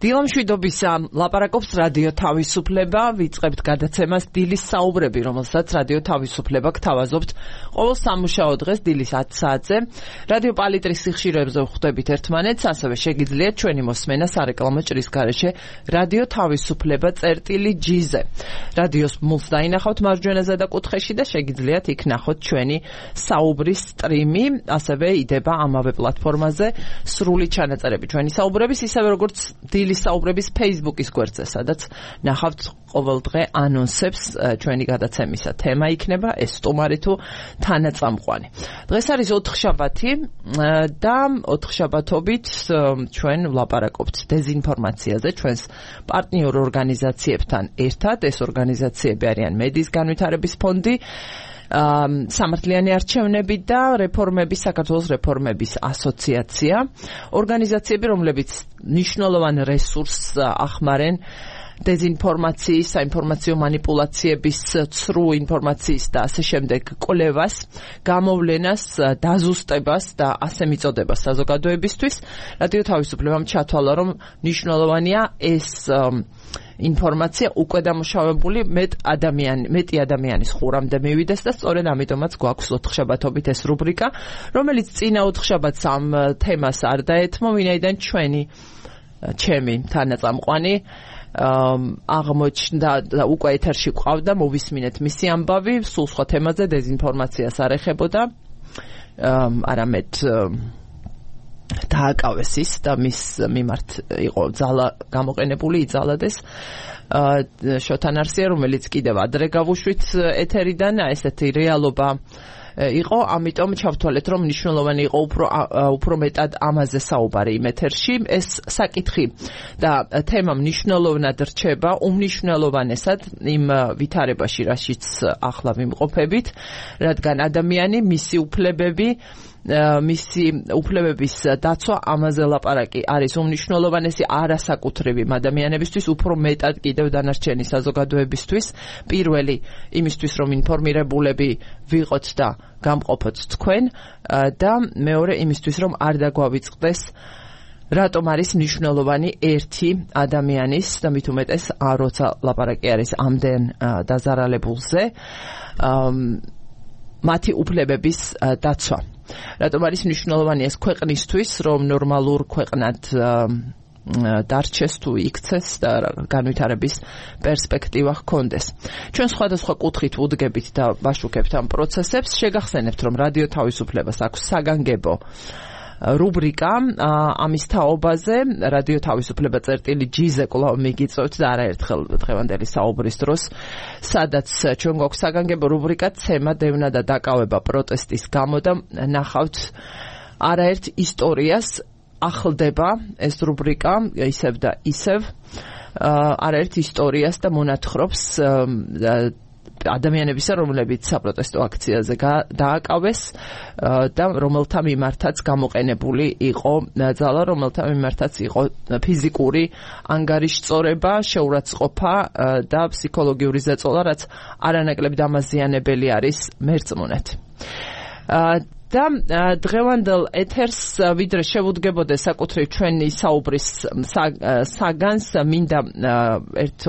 დილამშვიდობისა ლაპარაკობს რადიო თავისუფლება, ვიწყებთ გადაცემას დილის საუბრები, რომელსაც რადიო თავისუფლება გთავაზობთ ყოველ სამუშაო დღეს დილის 10 საათზე. რადიო პალიტრის სიხშირეებზე ვხვდებით ერთმანეთს, ასევე შეგიძლიათ ჩვენი მოსმენა სარეკლამო ჭრის გარეშე რადიო თავისუფლება წერტილი-G-ზე. რადიოს მულს დაინახავთ მარჯვენა ზედაკუთხეში და შეგიძლიათ იქ ნახოთ ჩვენი საუბრის სტრიმი, ასევე იდება ამავე პლატფორმაზე სრული ჩანაწერები ჩვენი საუბრების, ისევე როგორც დილის საუბრების Facebook-ის გვერდზე, სადაც ნახავთ ყოველდღე ანონსებს ჩვენი გადაცემისა. თემა იქნება ეს სტუმარი თუ თანაწამყვანი. დღეს არის 4 შაბათი და 4 შაბათობით ჩვენ ვლაპარაკობთ დეზინფორმაციაზე ჩვენს პარტნიორ ორგანიზაციებთან ერთად. ეს ორგანიზაციები არიან მედიის განვითარების ფონდი, სამართლიანი არჩევნები და რეფორმების საქართველოს რეფორმების ასოციაცია. ორგანიზაციები, რომლებიც მნიშვნელოვან რესურსს ახმარენ დეზინფორმაციის, საინფორმაციო манипуляციების, ცრუ ინფორმაციის და ასე შემდეგ კვლევას, გამოვლენას, დაზუსტებას და ასე მიწოდებას საზოგადოებისთვის. რადიო თავისუფლებამ ჩათვალა, რომ მნიშვნელოვანია ეს ინფორმაცია უკვე დამუშავებული მეტი ადამიანის ხურამდე მივიდეს და სწორედ ამიტომაც გვაქვს 4 შაბათობით ეს რუბრიკა, რომელიც წინა 4 შაბათს ამ თემას არ დაეთმო, ვინაიდან ჩემი თანაწამყვანი აღმოჩნდა და უკვე ეთერში ყავდა, მოვისმინეთ მისი ამბავი, სულ სხვა თემაზე დეზინფორმაციას არ ეხებოდა, არამედ დააკავეს ის და მის მიმართ იყო ძალა გამოყენებული, იძალადეს შოთან არსია, რომელიც კიდევ ადრე გავუშვით ეთერიდან, ესეთი რეალობა იყო, ამიტომ ჩავთვალეთ, რომ მნიშვნელოვანი იყო უფრო მეტად ამაზე საუბარი იმ ეთერში. ეს საკითხი და თემა მნიშვნელოვნად რჩება უმნიშვნელოვანესად იმ ვითარებაში, რაშიც ახლა ვიმყოფებით, რადგან ადამიანი, მისი უფლებების დაცვა, ამაზე ლაპარაკი არის უმნიშვნელოვანესი არასაკუთრივი ადამიანებისთვის, უფრო მეტად კიდევ დანარჩენი საზოგადოებისთვის. პირველი იმისთვის, რომ ინფორმირებულები ვიყოთ და გამყოფოთ თქვენ და მეორე იმისთვის, რომ არ დაგვავიწყდეს რატომ არის მნიშვნელოვანი ერთი ადამიანის და მით უმეტეს როცა ლაპარაკი არის ამდენ დაზარალებულზე მათი უფლებების დაცვა. რატომ არის მნიშვნელოვანი ეს ქვეყნისთვის, რომ ნორმალურ ქვეყნად დარჩეს თუ იქცეს და განვითარების პერსპექტივა ჰქონდეს. ჩვენ სხვადასხვა კუთხით ვუდგებით და ვაშუქებთ ამ პროცესებს. შეგახსენებთ, რომ რადიო თავისუფლებას აქვს საგანგებო რუბრიკა ამის თაობაზე, რადიო თავისუფლება წერტილი-G-ზე კვლავ მიგიწევთ და არაერთხელ დღევანდელი საუბრის დროს, სადაც ჩვენ გვაქვს საგანგებო რუბრიკა ცემა, დევნა და დაკავება პროტესტის გამო და ნახავთ არაერთ ისტორიას, ახლდება ეს რუბრიკა ისევ და ისევ არაერთ ისტორიას და მონათხრობს ადამიანებისა, რომლებიც საპროტესტო აქციაზე დააკავეს და რომელთა მიმართაც გამოყენებული იყო ძალა, რომელთა მიმართაც იყო ფიზიკური ანგარიშწორება, შეურაცხყოფა და ფსიქოლოგიური ზეწოლა, რაც არანაკლებ დამაზიანებელი არის მერწმუნეთ. და დღევანდელ ეთერს ვიდრე შევუდგებოდეს საკუთრივ ჩვენი საუბრის საგანს, მინდა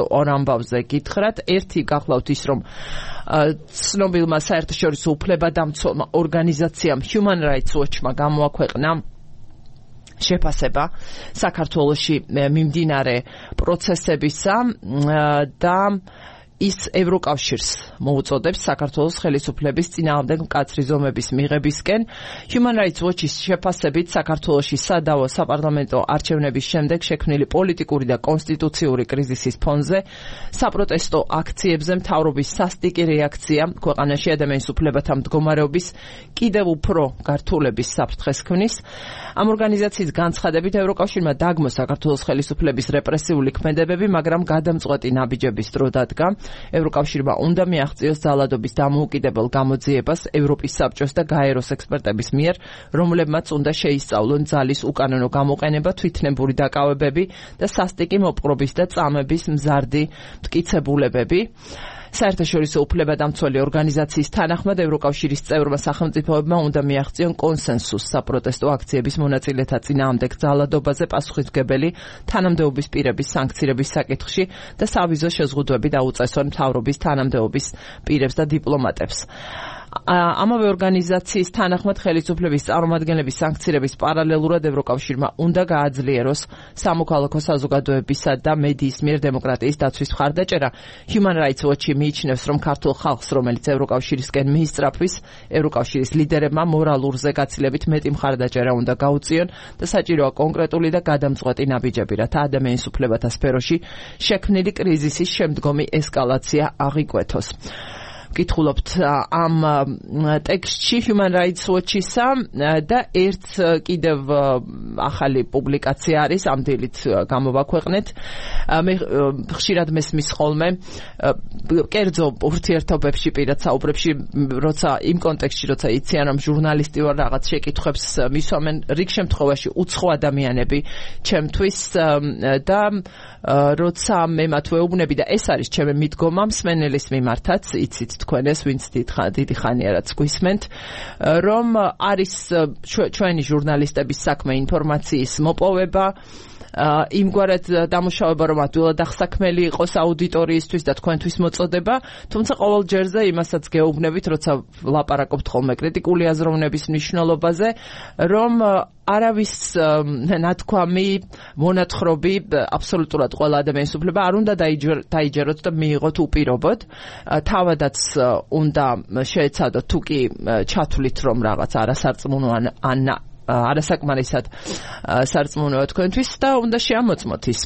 ორ ამბავზე გითხრათ. ერთი გახლავთ ის, რომ ცნობილმა საერთაშორისო უფლებადამცველმა ორგანიზაციამ Human Rights Watch-მა გამოაქვეყნა შეფასება საქართველოში მიმდინარე პროცესებისა და ის ევროკავშირს მოუწოდებს საქართველოს ხელისუფლების წინააღმდეგ მკაცრი ზომების მიღებისკენ. Human Rights Watch-ის შეფასებით საქართველოში სადავო საპარლამენტო არჩევნების შემდეგ შექმნილი პოლიტიკური და კონსტიტუციური კრიზისის ფონზე საპროტესტო აქციებზე მთავრობის სასტიკი რეაქცია ქვეყანაში ადამიანის უფლებათა მდგომარეობის კიდევ უფრო გართულების საფრთხეს ქმნის. ამ ორგანიზაციის განცხადებით ევროკავშირმა დაგმო საქართველოს ხელისუფლების რეპრესიული ქმედებები, მაგრამ გადამწყვეტი ნაბიჯების დრო დადგა. ევროკავშირმა უნდა მიაღწიოს ძალადობის დამოუკიდებელ გამოძიებას ევროპის საბჭოს და გაეროს ექსპერტების მიერ, რომლებმაც უნდა შეისწავლონ ძალის უკანონო გამოყენება, თვითნებური დაკავებები და სასტიკი მოპყრობის და წამების მზარდი მტკიცებულებები. საერთაშორისო უფლებადამცველი ორგანიზაციის თანახმად ევროკავშირის წევრმა სახელმწიფოებმა უნდა მიაღწიონ კონსენსუსს საპროტესტო აქციების მონაწილეთა წინააღმდეგ ძალადობაზე პასუხისმგებელი თანამდებობის პირების სანქცირების საკითხში და სავიზო შეზღუდვები დაუწესონ მთავრობის თანამდებობის პირებს და დიპლომატებს. ამავე ორგანიზაციის თანახმად ხელისუფლების წარმომადგენლების სანქცირების პარალელურად ევროკავშირმა უნდა გააძლიეროს სამოქალაქო საზოგადოებისა და მედიის მიერ დემოკრატიის დაცვის მხარდაჭერა. Human Rights Watch მიიჩნევს, რომ ქართულ ხალხს, რომელიც ევროკავშირისკენ მიისწრაფვის, ევროკავშირის ლიდერებმა მორალურზე გაცილებით მეტი მხარდაჭერა უნდა გაუწიონ და საჭიროა კონკრეტული და გადამწყვეტი ნაბიჯები, რათა ადამიანის უფლებათა სფეროში შექმნილი კრიზისის შემდგომი ესკალაცია აღიკვეთოს. ვკითხულობთ ამ ტექსტში Human Rights Watch-ისა და ერთ კიდევ ახალი პუბლიკაცია არის, ამ დილით გამოვაქვეყნეთ. მე ხშირად მესმის ხოლმე კერძო ურთიერთობებში, პირად საუბრებში, როცა იმ კონტექსტში, როცა იციან, რომ ჟურნალისტი ვარ, რაღაც შეკითხვებს მისვამენ, რიგ შემთხვევაში უცხო ადამიანები ჩემთვის და როცა მე მათ ვეუბნები და ეს არის ჩემი მიდგომა მსმენელის მიმართაც, იცით თქვენ ეს ვინც დიდი ხანია რაც გვისმენთ, რომ არის ჩვენი ჟურნალისტების საქმე ინფორმაციის მოპოვება, იმგვარად დამუშავება, რომ ადვილად აღსაქმელი იყოს აუდიტორიისთვის და თქვენთვის მოწოდება, თუმცა ყოველ ჯერზე იმასაც გეუბნებით, როცა ლაპარაკობთ ხოლმე კრიტიკული აზროვნების მნიშვნელობაზე, რომ არავის ნათქვამი, მონათხრობი, აბსოლუტურად ყველა ადამიანის უფლება არ უნდა დაიჯეროთ და მიიღოთ უპირობოდ. თავადაც უნდა შეეცადოთ თუ კი ჩათვლით, რომ რაღაც არასარწმუნო ან არასაკმარისად სარწმუნოა თქვენთვის და უნდა შეამოწმოთ ის.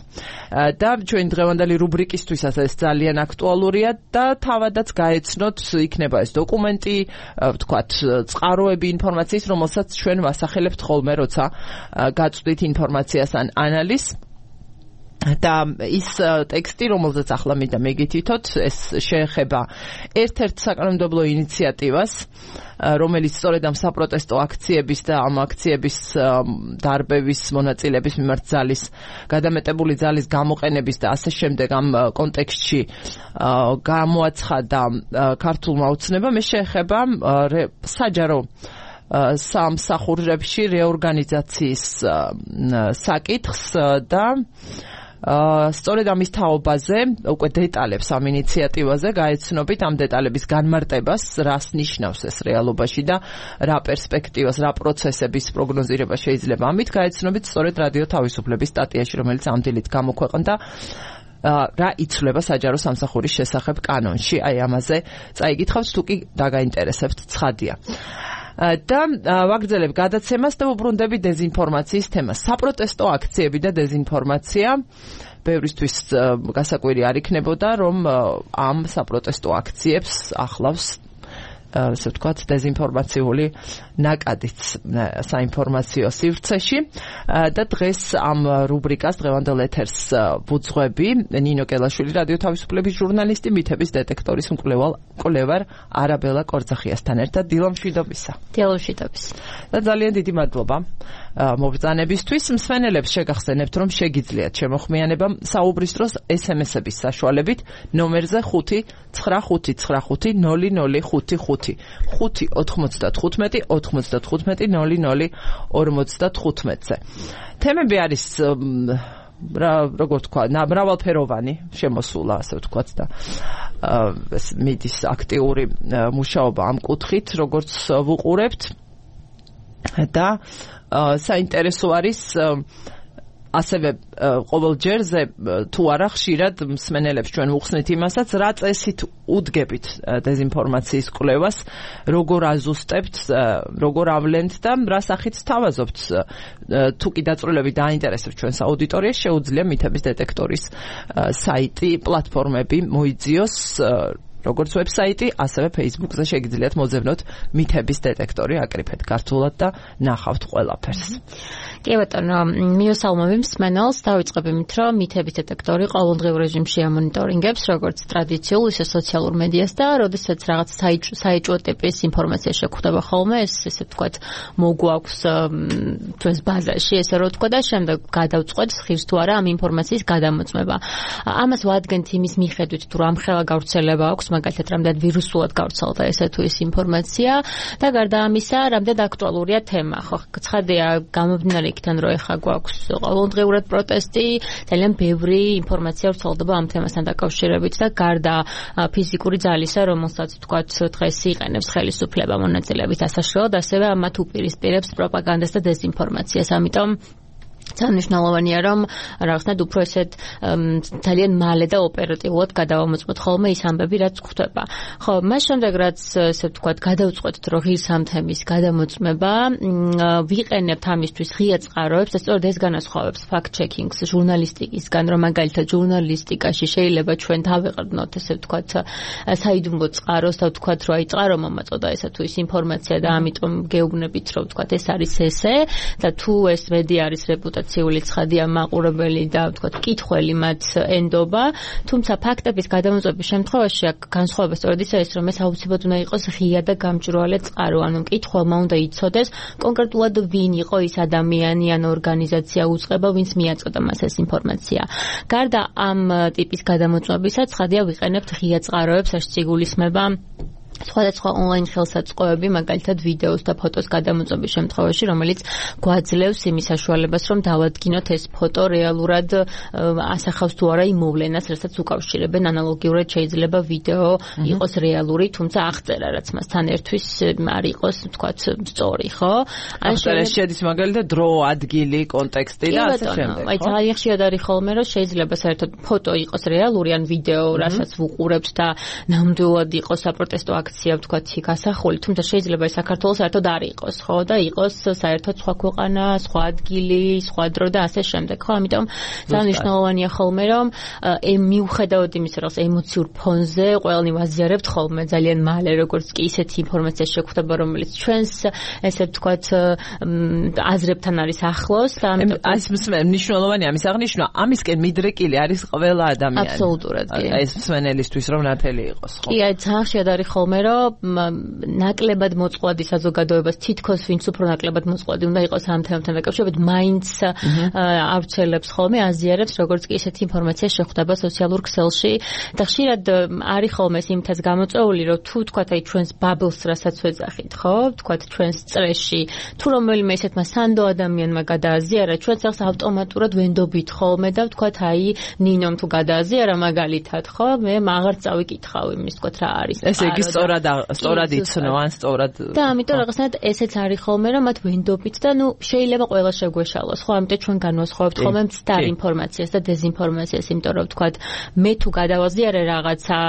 და ჩვენ დღევანდელი რუბრიკისთვისაც ეს ძალიან აქტუალურია და თავადაც გაეცნოთ, იქნება ეს დოკუმენტი, ვთქვათ, წყაროები ინფორმაციის, რომელსაც ჩვენ ვასახელებთ ხოლმე, როცა გაწვდით ინფორმაციას ან ანალიზს. და ის ტექსტი, რომელზეც ახლა მინდა მეგითითოთ, ეს შეეხება ერთ-ერთ საკანონმდებლო ინიციატივას, რომელიც სწორედ ამ საპროტესტო აქციების და ამ აქციების დარბევის მონაწილეების მიმართ ძალის, გადამეტებული ძალის გამოყენების და ასე შემდეგ ამ კონტექსტში გამოაცხადა ქართულმა ოცნებამ. ეს შეეხება საჯარო სამსახურებში რეორგანიზაციის საკითხს და სწორედ ამის თაობაზე, უკვე დეტალებს ამ ინიციატივაზე გაეცნობით, ამ დეტალების განმარტებას, რას ნიშნავს ეს რეალობაში და რა პერსპექტივას, რა პროცესების პროგნოზირება შეიძლება ამით გაეცნობით სწორედ რადიო თავისუფლების სტატიაში, რომელიც ამ დილით გამოქვეყნდა, რა იცვლება საჯარო სამსახურის შესახებ კანონში. აი ამაზე წაიგითხავთ, თუ კი დაგაინტერესებთ, ცხადია. და ვაგრძელებ გადაცემას და ვუბრუნდები დეზინფორმაციის თემას. საპროტესტო აქციები და დეზინფორმაცია ბევრისთვის გასაკვირი არ იქნებოდა, რომ ამ საპროტესტო აქციებს ახლავს ასე ვთქვათ, დეზინფორმაციული ნაკადიც საინფორმაციო სივრცეში და დღეს ამ რუბრიკას დღევანდელ ეთერს ვუძღვები ნინო კელაშვილი, რადიო თავისუფლების ჟურნალისტი, მითების დეტექტორის მკვლევარ არაბელა კორძახიასთან ერთად. დილომშვიდობისა. დილომშვიდობის. და ძალიან დიდი მადლობა მობრძანებისთვის. მსმენელებს შეგახსენებთ, რომ შეგიძლიათ შემოხმიანება საუბრის დროს SMS-ების საშუალებით ნომერზე 595900555 5-95-95-00-55-ზე. თემები არის როგორ თქვა, მრავალფეროვანი შემოსულა, ასე ვთქვათ და მიდის აქტიური მუშაობა ამ კუთხით, როგორც ვუყურებთ და საინტერესო არის ასევე ყოველ ჯერზე თუ არა ხშირად მსმენელებს ჩვენ ვუხსნით იმასაც, რა წესით უდგებით დეზინფორმაციის კვლევას, როგორ აზუსტებთ, როგორ ავლენთ და რა სახით სთავაზობთ. თუ კი დაწვრილებით დაინტერესებს ჩვენს აუდიტორიას, შეუძლია მითების დეტექტორის საიტი, პლატფორმები მოიძიოს, როგორც ვებსაიტი, ასევე Facebook-ზე შეგიძლიათ მოძებნოთ მითების დეტექტორი, აკრიფეთ ქართულად და ნახავთ ყველაფერს. კი ბატონო, მიესალმები მსმენელს, დავიწყებ იმით, რომ მითების დეტექტორი ყოველდღიურ რეჟიმში ამონიტორინგებს როგორც ტრადიციულ, ისე სოციალურ მედიას და როდესაც რაღაც საეჭვო ტიპის ინფორმაცია შეგვხვდება ხოლმე, ესე ვთქვათ, მოგვაქვს ჩვენს ბაზაში, ესე რომ ვთქვა და შემდეგ გადავწყვეტ ხირს თუ არა ამ ინფორმაციის გადამოწმება. ამას ვადგენთ იმის მიხედვით, თუ რამხელა გავრცელება აქვს მაგალითად რამდენად ვირუსულად გავრცელდა ესე თუ ის ინფორმაცია და გარდა ამისა რამდენად აქტუალურია თემა. ხო, ცხადია გამომდინარე იქიდან რომ ეხა გვაქვს ყოველდღიურად პროტესტი, ძალიან ბევრი ინფორმაცია ვრცელდება ამ თემასთან დაკავშირებით და გარდა ფიზიკური ძალისა, რომელსაც თქვათ დღეს იყენებს ხელისუფლება მონაწილეობით ასაშრელად, ასევე ამათ უპირისპირებს პროპაგანდას და დეზინფორმაციას. ამიტომ ძალიან რომ რაღაცნაირად უფრო ესეთ ძალიან მალე და ოპერატიულად გადავამოწმოთ ხოლმე ის ამბები, რაც გვხვდება. ხო, მას შემდეგ რაც ესე ვთქვათ, გადავწყვეტთ რომ ღირს ამ თემის გადამოწმება, ვიყენებთ ამისთვის ღია წყაროებს, და სწორედ ეს განასხვავებს fact-checking-ს ჟურნალისტიკისგან, რომ მაგალითად ჟურნალისტიკაში შეიძლება ჩვენ დავეყრდნოთ ესე ვთქვათ საიდუმლო წყაროს და ვთქვათ რომ აი წყარო მომაწოდა ესა თუ ის ინფორმაცია და ამიტომ გეუბნებით რომ ვთქვათ ეს არის ესე და თუ ეს მედი არის რეპუტაციული ცხადია მაყურებელი და ვთქვათ კითხველი მათ ენდობა, თუმცა ფაქტების გადამოწმების შემთხვევაში აქ განსხვავება სწორედ ისაა ის რომ ეს აუცილებლად უნდა იყოს ღია და გამჭვირვალე წყარო, ანუ მკითხველმა უნდა იცოდეს კონკრეტულად ვინ იყო ის ადამიანი ან ორგანიზაცია უწყება, ვინც მიაწოდა მას ეს ინფორმაცია. გარდა ამ ტიპის გადამოწმებისა, ცხადია ვიყენებთ ღია წყაროებს, ეს იგულისხმება სხვადასხვა ონლაინ ხელსაწყოები, მაგალითად ვიდეოს და ფოტოს გადამოწმების შემთხვევაში, რომელიც გვაძლევს იმის საშუალებას, რომ დავადგინოთ ეს ფოტო რეალურად ასახავს თუ არა იმ მოვლენას, რასაც უკავშირებენ. ანალოგიურად შეიძლება ვიდეო იყოს რეალური, თუმცა აღწერა, რაც მასთან ერთვის არ იყოს, ვთქვათ, სწორი, ხო? ან შედის მაგალითად დრო, ადგილი, კონტექსტი და ასე შემდეგ. აი ძალიან ხშირად არის ხოლმე, რომ შეიძლება საერთოდ ფოტო იყოს რეალური ან ვიდეო, რასაც ვუყურებთ და ნამდვილად იყოს საპროტესტო აქცია ვთქვათ იქ ასახული, თუმცა შეიძლება საქართველოს საერთოდ არ იყოს, ხო, და იყოს საერთოდ სხვა ქვეყანა, სხვა ადგილი, სხვა დრო და ასე შემდეგ, ხო, ამიტომ ძალიან მნიშვნელოვანია ხოლმე, რომ მიუხედავად იმისა, რომ ემოციურ ფონზე ყველანი ვაზიარებთ ხოლმე ძალიან მალე, როგორც კი ისეთი ინფორმაცია შეგვხვდება, რომელიც ჩვენს ესე ვთქვათ აზრებთან არის ახლოს და ამიტომ ეს მნიშვნელოვანია ამის აღნიშვნა, ამისკენ მიდრეკილი არის ყველა ადამიანი. აბსოლუტურად კი. ეს მსმენელისთვის რომ ნათელი იყოს, ხო? კი, აი ძალიან ხშირად არის ხოლმე რომ ნაკლებად მოწყვლადი საზოგადოებას თითქოს ვინც უფრო ნაკლებად მოწყვლადი უნდა იყოს ამ თემასთან დაკავშირებით, მაინც ავრცელებს ხოლმე, აზიარებს როგორც კი ესეთი ინფორმაცია შეხვდება სოციალურ ქსელში და ხშირად არის ხოლმე ეს იმითაც გამოწვეული, რომ თუ თქვათ აი ჩვენს ბაბლს რასაც ვეძახით, ხო, თქვათ ჩვენს წრეში, თუ რომელიმე ესეთმა სანდო ადამიანმა გადააზიარა, ჩვენც ახს ავტომატურად ვენდობით ხოლმე და ვთქვათ აი ნინომ თუ გადააზიარა მაგალითად, ხო, მე აღარ წავიკითხავ იმის თქვათ რა არის. ესე იგი სწორად იცნო ან სწორად და ამიტომ რაღაცნაირად ესეც არის ხოლმე რომ მათ ვენდობით და ნუ შეიძლება ყველა შეგვეშალოს, ხო, ამიტომ ჩვენ განვასხვავებთ ხოლმე მცდარ ინფორმაციას და დეზინფორმაციას, იმიტომ რომ ვთქვათ მე თუ გადავაზიარე რაღაცა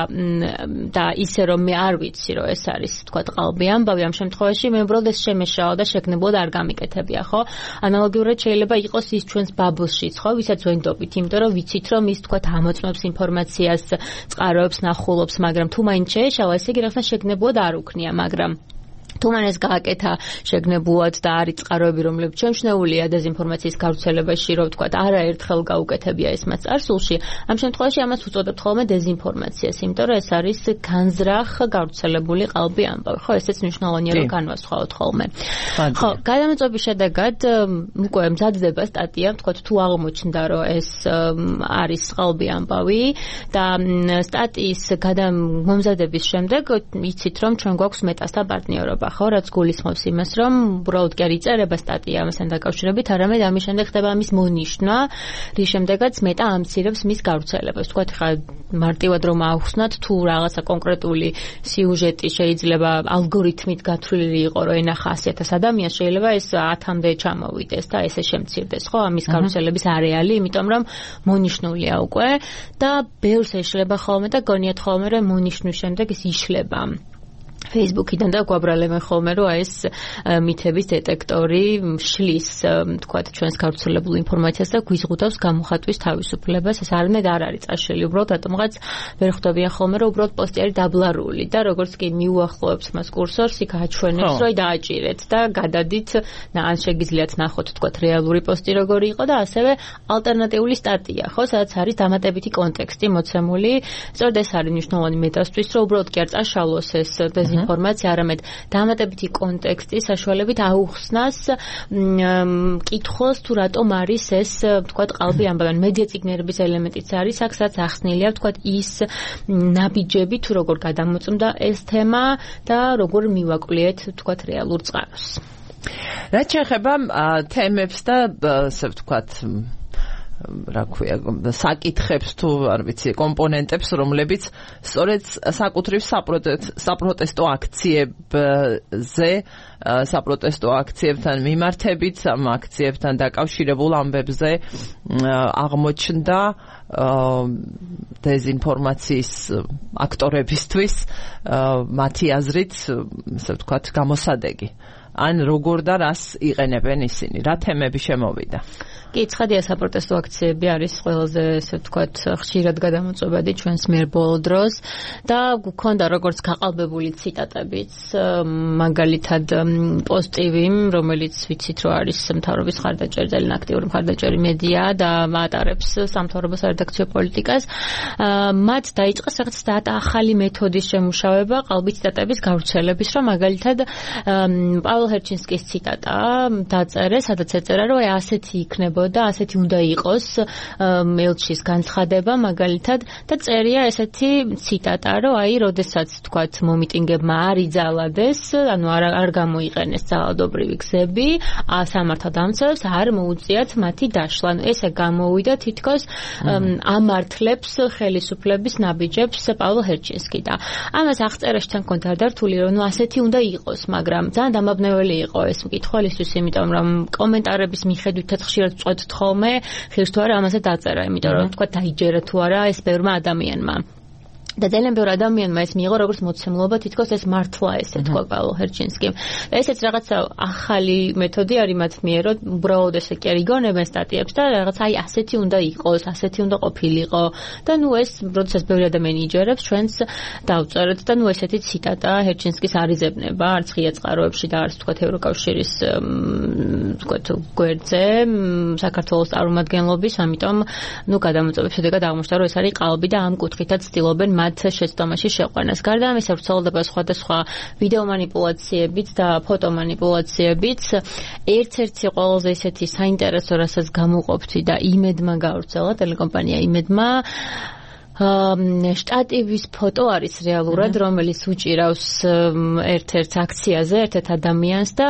და ისე რომ მე არ ვიცი რომ ეს არის ვთქვათ ყალბი ამბავი, ამ შემთხვევაში მე უბრალოდ ეს შემეშალა და შეგნებულად არ გამიკეთებია, ხო? ანალოგიურად შეიძლება იყოს ის ჩვენს ბაბლშიც, ხო, ვისაც ვენდობით, იმიტომ რომ ვიცით რომ ის ვთქვათ ამოწმებს ინფორმაციას, წყაროებს, ნახულობს, მაგრამ თუ მაინც შეეშალა, ესე იგი რაღაცა შეგნებულად არ უქნია, მაგრამ თუ მან ეს გააკეთა შეგნებულად და არის წყაროები, რომლებიც შემჩნეულია დეზინფორმაციის გავრცელებაში, რომ ვთქვათ, არაერთხელ გაუკეთებია ეს მას წარსულში, ამ შემთხვევაში ამას უწოდებთ ხოლმე დეზინფორმაციას, იმიტომ რომ ეს არის განზრახ გავრცელებული ყალბი ამბავი. ხო, ესეც მნიშვნელოვანია რომ განვასხვაოთ ხოლმე. ხო, გადამოწმების შედეგად უკვე მზადდება სტატია, ვთქვათ, თუ აღმოჩნდა, რომ ეს არის ყალბი ამბავი და სტატიის მომზადების შემდეგ იცით, რომ ჩვენ გვაქვს მეტასთან პარტნიორობა. ხო, რაც გულისხმობს იმას, რომ უბრალოდ კი არ იწერება სტატია ამასთან დაკავშირებით, არამედ ამის შემდეგ ხდება ამის მონიშნა, რის შემდეგაც მეტა ამცირებს მის გავრცელებას. ვთქვათ, ხა მარტივად რომ ავხსნათ, თუ რაღაცა კონკრეტული სიუჟეტი შეიძლება ალგორითმით გათვლილი იყო, რომ ენახა 100,000 ადამიანს, შეიძლება ეს 10-მდე ჩამოვიდეს და ესე შემცირდეს, ხო, ამის გავრცელების არეალი, იმიტომ რომ მონიშნულია უკვე და ბევრს ეშლება ხოლმე და გონიათ ხოლმე, რომ მონიშნვის შემდეგ ის იშლება. Facebook-იდან და გვაბრალებენ ხოლმე, რომ ეს მითების დეტექტორი შლის, თქვათ, ჩვენს გავრცელებულ ინფორმაციას და გვიზღუდავს გამოხატვის თავისუფლებას. ეს არამედ არ არის წაშლილი, უბრალოდ რატომღაც ვერ ხვდებიან ხოლმე, რომ უბრალოდ პოსტი არის დაბლარული და როგორც კი მიუახლოვებს მას კურსორს, იქ აჩვენებს, რომ დააჭირეთ და გადადით, ან შეგიძლიათ ნახოთ, თქვათ, რეალური პოსტი როგორი იყო და ასევე ალტერნატიული სტატია, ხო, სადაც არის დამატებითი კონტექსტი მოცემული. სწორედ ეს არის მნიშვნელოვანი მეტასთვის, რომ უბრალოდ კი არ წაშალოს ეს ინფორმაცია, არამედ დამატებითი კონტექსტი საშუალებით აუხსნას კითხოს თუ რატომ არის ეს თქვათ ყალბი ამბავენ მედია ციგნიერების ელემენტიც არის აქ სადაც ახსნილია თქვათ ის ნაბიჯები თუ როგორ გადამოწმდა ეს თემა და როგორ მივაკვლიეთ თქვათ რეალურ წყაროს. რაც შეეხება თემებს და ასე ვთქვათ რა ქვია საკითხებს თუ არ ვიცი კომპონენტებს რომლებიც სწორედ საკუთრივ საპროტესტო აქციებზე საპროტესტო აქციებთან მიმართებით ამ აქციებთან დაკავშირებულ ამბებზე აღმოჩნდა დეზინფორმაციის აქტორებისთვის მათი აზრით ასე ვთქვათ გამოსადეგი ან როგორ და რას იყენებენ ისინი რა თემები შემოვიდა კი, ცხადია საპროტესტო აქციები არის ყველაზე, ესე ვთქვათ, ხშირად გადამოწვევადი ჩვენს მიერ ბოლო დროს და გქონდა როგორც გაყალბებული ციტატებიც, მაგალითად პოსტივი, რომელიც ვიცით რომ არის მთავრობის მხარდაჭერი, ძალიან აქტიური მხარდაჭერი მედია და ატარებს სამთავრობო სარედაქციო პოლიტიკას. მათ დაიწყეს რაღაც ახალი მეთოდის შემუშავება ყალბი ციტატების გავრცელების, რომ მაგალითად პავლე ჰერჩინსკის ციტატა დაწერეს, სადაც ეწერა რომ ასეთი იქნება და ასეთი უნდა იყოს ელჩის განცხადება მაგალითად და წერია ესეთი ციტატა რომ აი როდესაც თქვათ მომიტინგებმა არ იძალადეს ანუ არ გამოიყენეს ძალადობრივი გზები სამართალდამცავებს არ მოუწიათ მათი დაშლა ესე გამოვიდა თითქოს ამართლებს ხელისუფლების ნაბიჯებს პავლე ჰერჩინსკი და ამას აღწერაში თან კონდა დართული რომ ასეთი უნდა იყოს მაგრამ ძალიან დამაბნეველი იყო ეს მკითხველისთვის იმიტომ რომ კომენტარების მიხედვითაც ხშირად თხოვმე ხშირ თუ არა ამასაც დაწერა იმიტომ რომ თქვა დაიჯერა თუ არა ეს ბევრმა ადამიანმა და ძალიან ბევრ ადამიანმა ეს მიიღო როგორც მოცემულობა თითქოს ეს მართლა ესე თქვა პავლე ჰერჩინსკიმ და ესეც რაღაცა ახალი მეთოდი არის მათ მიერ რომ უბრალოდ ესე კი არ იგონებენ სტატიებს და რაღაც აი ასეთი უნდა იყოს ასეთი უნდა ყოფილიყო და ნუ ეს როდესაც ბევრი ადამიანი იჯერებს ჩვენს დავწერეთ და ნუ ესეთი ციტატა ჰერჩინსკის არიზებნება არც ღია წყაროებში და არც თქვა ევროკავშირის თქვა გვერდზე საქართველოს წარმომადგენლობის ამიტომ ნუ გადამოწვევების შედეგად აღმოჩნდა რომ ეს არის ყალბი და ამ კუთხითაც ცდილობენ მათ შეცდომაში შეყვანას. გარდა ამისა ვრცელდება სხვადასხვა ვიდეო манипуляციებიც და ფოტო манипуляციებიც. ერთ-ერთი ყველაზე ისეთი საინტერესო რასაც გამოყოფთი და იმედმა გავრცელა ტელეკომპანია იმედმა შტატივის ფოტო არის რეალურად, რომელიც უჭირავს ერთ-ერთ აქციაზე, ერთ-ერთ ადამიანს და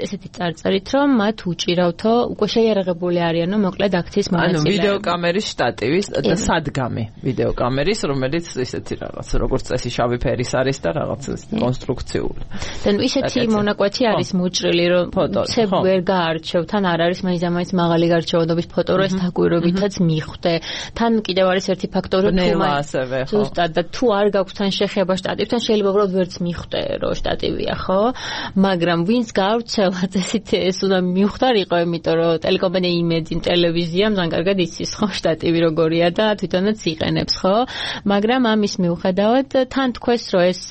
ესეთი წარწერით, რომ მათ უჭირავთო უკვე შეიარაღებული არიანო მოკლედ აქციის მონაწილეები. ანუ ვიდეოკამერის შტატივის და სადგამი ვიდეოკამერის, რომელიც ისეთი რაღაც, როგორც წესი შავი ფერის არის და რაღაც კონსტრუქციული. და ისეთი მონაკვეთი არის მოჭრილი, რომ ცებ ვერ გაარჩევ, თან არ არის მაინც მაღალი გარჩევადობის ფოტო, რომ ეს დაკვირვებითაც მიხვდე. თან კიდევ არის ერთი ფაქტორი ზუსტად და თუ არ გაქვს თან შეხება შტატივთან შეიძლება უბრალოდ ვერც მიხვდე რომ შტატივია ხო მაგრამ ვინც გავრცელა წესით ეს უნდა მიხვდარიყო იმიტომ რომ ტელეკომპანია იმედი ტელევიზია ძალიან კარგად იცის ხო შტატივი როგორია და თვითონაც იყენებს ხო მაგრამ ამის მიუხედავად თან თქვეს რომ ეს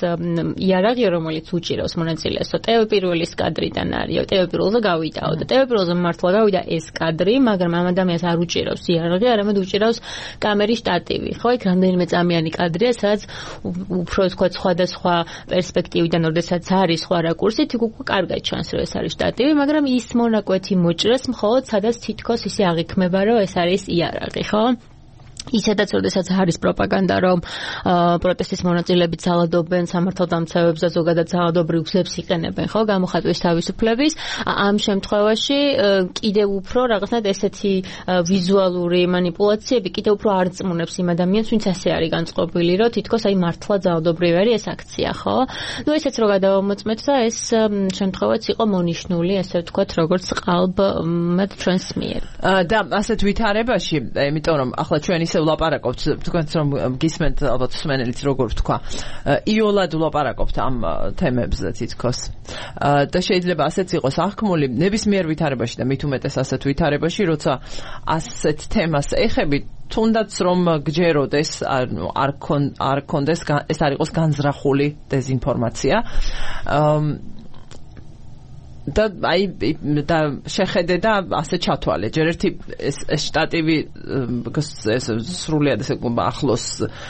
იარაღი რომელიც უჭირავს მონაწილეებსო ტევ პირველის კადრიდან არის ტევ პირველზე გავიდაო და ტევ პირველზე მართლა გავიდა ეს კადრი მაგრამ ამ ადამიანს არ უჭირავს იარაღი არამედ უჭირავს კამერის შტატივი ხო იქ რამდენიმე წამიანი კადრია, სადაც უფრო თქვა სხვადასხვა პერსპექტივიდან, როდესაც არის სხვა რაკურსი, თქო უკვე კარგად ჩანს, რომ ეს არის შტატივი, მაგრამ ის მონაკვეთი მოჭრას მხოლოდ სადაც თითქოს ისე აღიქმება, რომ ეს არის იარაღი, ხო? ისედაც როდესაც არის პროპაგანდა რომ პროტესტის მონაწილეები ძალადობენ სამართალდამცავებს და ზოგადად ძალადობრივ გზებს იყენებენ ხო გამოხატვის თავისუფლების ამ შემთხვევაში კიდევ უფრო რაღაცნაირად ესეთი ვიზუალური манипуляციები კიდევ უფრო არ წმუნებს იმ ადამიანს ვინც ასე არის განწყობილი რომ თითქოს აი მართლა ძალადობრივი არის ეს აქცია ხო ნუ ესეც რო გადავამოწმეთ და ეს შემთხვევაც იყო მონიშნული ესე ვთქვათ როგორც ყალბ მათ ჩვენს მიერ და ასეთ ვითარებაში იმიტომ რომ ახლა ჩვენ ვლაპარაკობთ თქვენც რომ გისმენთ ალბათ მსმენელიც როგორ ვთქვა იოლად ვლაპარაკობთ ამ თემებზე თითქოს და შეიძლება ასეც იყოს აღქმული ნებისმიერ ვითარებაში და მით უმეტეს ასეთ ვითარებაში როცა ასეთ თემას ეხები თუნდაც რომ გჯეროდეს არ კონდეს ეს არ იყოს განზრახული დეზინფორმაცია და აი და შეხედე და ასე ჩათვალე. ჯერ ერთი ეს შტატივი ეს სრულიად ესე ახლოს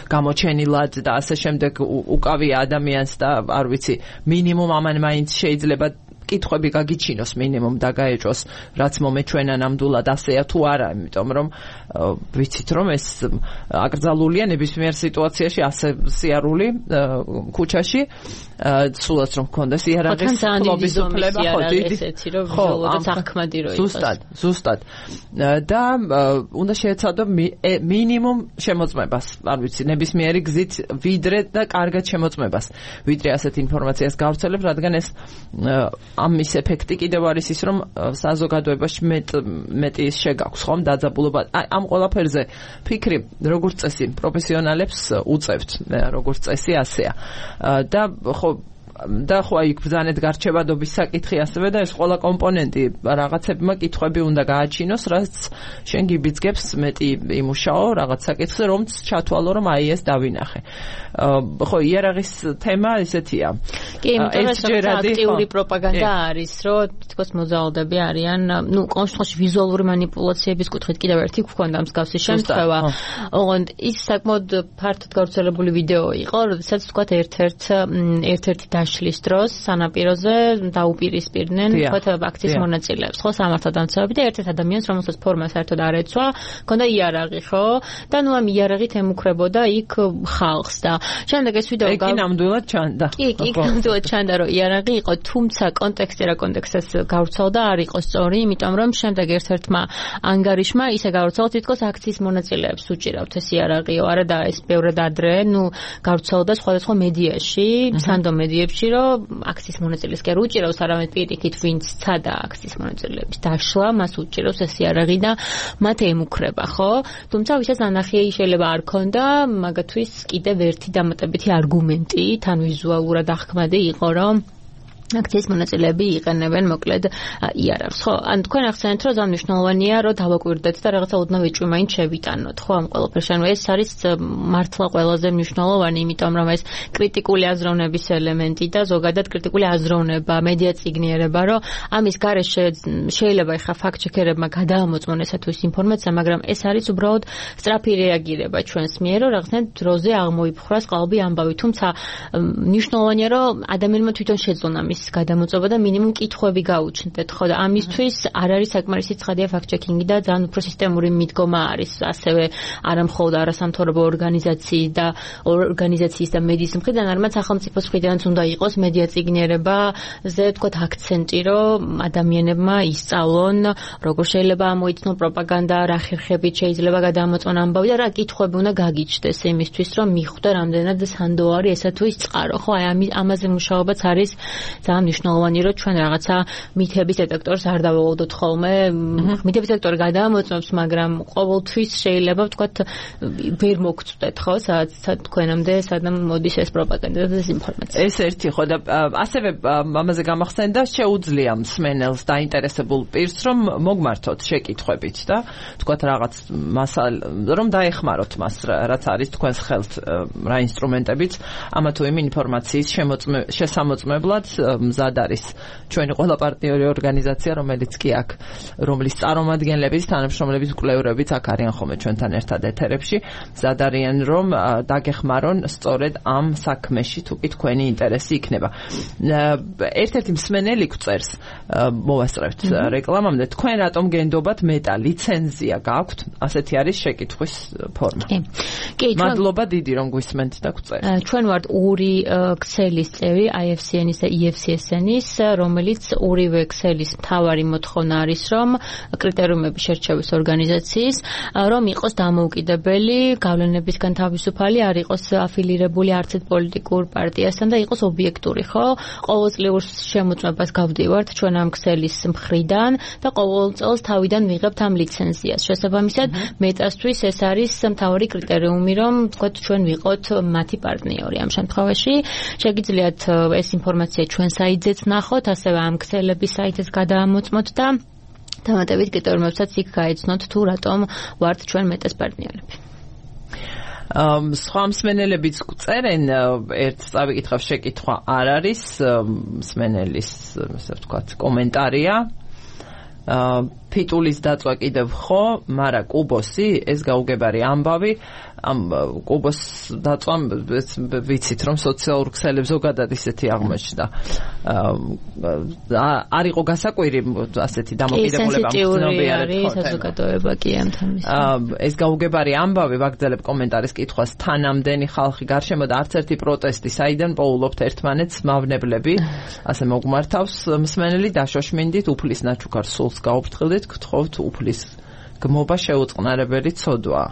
გამოჩენილად და ასე შემდეგ უკავია ადამიანს და არ ვიცი მინიმუმ ამან მაინც შეიძლება კითხვები გაგიჩინოს მინიმუმ და გაეჭოს რაც მომეჩვენა ნამდვილად ასეა თუ არა, იმიტომ რომ ვიცით რომ ეს აკრძალულია ნებისმიერ სიტუაციაში ასე სიარული ქუჩაში სულაც რომ გქონდეს იარაღის ხლობის უფლება ხო დიდი ხო ახმადი რო იყოს ზუსტად და უნდა შეეცადო მინიმუმ შემოწმებას არ ვიცი ნებისმიერი გზით ვიდრე და კარგად შემოწმებას ვიდრე ასეთ ინფორმაციას გავვრცელებ რადგან ეს ამის ეფექტი კიდევ არის ის რომ საზოგადოებაში მეტი შეგაქვს ხომ დაძაბულობა ამ ყველაფერზე ფიქრი როგორც წესი პროფესიონალებს უწევთ როგორც წესი ასეა და ხო აი ბრძანეთ გარჩევადობის საკითხი ასევე და ეს ყველა კომპონენტი რაღაცებმა კითხვები უნდა გააჩინოს რაც შენ გიბიძგებს მეტი იმუშაო რაღაც საკითხზე რომც ჩათვალო რომ აი ეს დავინახე ხო იარაღის თემა ესეთია კი იმიტომ რომ აქტიური პროპაგანდა არის რომ თითქოს მოძალადები არიან ნუ კონსტრუქციაში ვიზუალური манипуляციების კუთხით კიდევ ერთი გვქონდა მსგავსი შემთხვევა ოღონდ ის საკმაოდ ფართოდ გავრცელებული ვიდეო იყო როდესაც თქვათ ერთ-ერთი დაშლის დროს სანაპიროზე დაუპირისპირდნენ თქვათ აქციის მონაწილეებს ხო სამართალდამცავები და ერთ-ერთ ადამიანს რომელსაც ფორმა საერთოდ არ ეცვა ჰქონდა იარაღი ხო და ნუ ამ იარაღით ემუქრებოდა იქ ხალხს და შემდეგ ეს ვიდეო კი ნამდვილად ჩანდა კი ნამდვილად ჩანდა რომ იარაღი იყო თუმცა კონტექსტი რა კონტექსტს გავრცელდა არ იყო სწორი იმიტომ რომ შემდეგ ერთ-ერთმა ანგარიშმა ისე გავრცელდა თითქოს აქციის მონაწილეებს უჭირავთ ეს იარაღიო არა და ეს ბევრად ადრე ნუ გავრცელდა სხვადასხვა მედიაში სანდო მედიებში რომ აქციის მონაწილეს კი არ უჭირავს არამედ პირიქით ვინც ცადა აქციის მონაწილეების დაშლა მას უჭირავს ეს იარაღი და მათ ემუქრება ხო თუმცა ვისაც ანახია შეიძლება არ ქონდა მაგათთვის კიდევ ერთი დამატებითი არგუმენტი თან ვიზუალურად ახმადი იყო რომ აქციის მონაწილეები იყენებენ მოკლედ იარაღს ხო ან თქვენ ახსენეთ რომ ძალიან მნიშვნელოვანია რომ დავაკვირდეთ და რაღაცა ოდნავ ეჭვი მაინც შევიტანოთ ხო ამ ყველაფერში ანუ ეს არის მართლა ყველაზე მნიშვნელოვანი იმიტომ რომ ეს კრიტიკული აზროვნების ელემენტი და ზოგადად კრიტიკული აზროვნება მედია წიგნიერება რომ ამის გარეშე შეიძლება ეხა ფაქტ-ჩეკერებმა გადაამოწმონ ესა თუ ის ინფორმაცია მაგრამ ეს არის უბრალოდ სწრაფი რეაგირება ჩვენს მიერ რომ რაღაცნაირად დროზე აღმოიფხვრას ყალბი ამბავი თუმცა მნიშვნელოვანია რომ ადამიანმა თვითონ შეძლონ ამის გადამოწობა და მინიმუმ კითხვები გაუჩნდეთ ხო და ამისთვის არ არის საკმარისი ცხადია ფაქტ-ჩეკინგი და ძალიან უფრო სისტემური მიდგომა არის ასევე არა მხოლოდ არასამთავრობო ორგანიზაციის და მედიის მხრიდან არამედ სახელმწიფოს მხრიდანაც უნდა იყოს მედია წიგნიერებაზე თქვათ აქცენტი რომ ადამიანებმა ისწავლონ როგორ შეიძლება ამოიცნონ პროპაგანდა რა ხერხებით შეიძლება გადამოწმონ ამბავი და რა კითხვები უნდა გაგიჩნდეს იმისთვის რომ მიხვდე რამდენად სანდო არის ესა თუ ის წყარო ხო აი ამაზე მუშაობაც არის ძალიან მნიშვნელოვანი რომ ჩვენ რაღაცა მითების დეტექტორს არ დავავალდოთ ხოლმე მითების დეტექტორი გადაამოწმებს მაგრამ ყოველთვის შეიძლება ვთქვათ ვერ მოგწვდეთ ხო სადაც თქვენამდე სადამ მოდის ეს პროპაგანდა და ეს ინფორმაცია ეს ერთი ხო და ასევე ამაზე გამახსენდა შეუძლია მსმენელს დაინტერესებულ პირს რომ მოგმართოთ შეკითხვებით და ვთქვათ რაღაც რომ დაეხმაროთ მას რაც არის თქვენს ხელთ რა ინსტრუმენტებით ამა თუ იმ ინფორმაციის შესამოწმებლად მზად არის ჩვენი ყველა პარტნიორი ორგანიზაცია რომელიც კი აქ რომლის წარმომადგენლების თანამშრომლების კვლევრებიც აქ არიან ხოლმე ჩვენთან ერთად ეთერებში მზად არიან რომ დაგეხმარონ სწორედ ამ საქმეში თუ კი თქვენი ინტერესი იქნება ერთ-ერთი მსმენელი გვწერს მოვასწრებთ რეკლამამდე თქვენ რატომ გენდობათ მეტა ლიცენზია გაქვთ ასეთი არის შეკითხვის ფორმა კი მადლობა დიდი რომ გვისმენთ და გვწერთ ჩვენ ვართ ორი ქსელის წევრი IFCN-ის და EFCSN-ის რომელიც ორივე ქსელის მთავარი მოთხოვნა არის რომ კრიტერიუმები შერჩევის ორგანიზაციის რომ იყოს დამოუკიდებელი გავლენებისგან თავისუფალი არ იყოს აფილირებული არც ერთ პოლიტიკურ პარტიასთან და იყოს ობიექტური ხო ყოველწლიურ შემოწმებას გავდივართ ჩვენ ამ ქსელის მხრიდან და ყოველ წელს თავიდან ვიღებთ ამ ლიცენზიას შესაბამისად მეტასთვის ეს არის მთავარი კრიტერიუმი რომ თქვათ ჩვენ ვიყოთ მათი პარტნიორი ამ შემთხვევაში შეგიძლიათ ეს ინფორმაცია ჩვენ საიტზეც ნახოთ ასევე ამ ქსელების საიტეს გადაამოწმოთ და დამატებით კრიტერიუმებსაც იქ გაეცნოთ თუ რატომ ვართ ჩვენ მეტეს პარტნიორები სხვა მსმენელებიც წერენ, ერთ წავიკითხავ შეკითხვა არ არის, მსმენელის, ასე ვთქვათ, კომენტარია. ფიტულის დაწვა კიდევ ხო, მაგრამ კუბოსი, ეს გაუგებარი ამბავი, ამ კუბოს დაწვამ ვიცით რომ სოციალურ ქსელებს ზოგადად ისეთი აღმოჩნდა. არ იყო გასაკვირი ასეთი დამოკიდებულება მცნობიარეთ საზოგადოება კი ამ თემის. ეს გაუგებარი ამბავი ვაგრძელებ კომენტარის კითხვას თანამდენი ხალხი გარშემო და არც ერთი პროტესტი საიდან პოულობთ ერთმანეთს მავნებლები ასე მოგმართავს მსმენელი დაშოშმინდით უფლის ნაჩუქარ სულს გაუფრთხილდით გთხოვთ უფლის გმობა შეუწყნარებელი ცოდვა.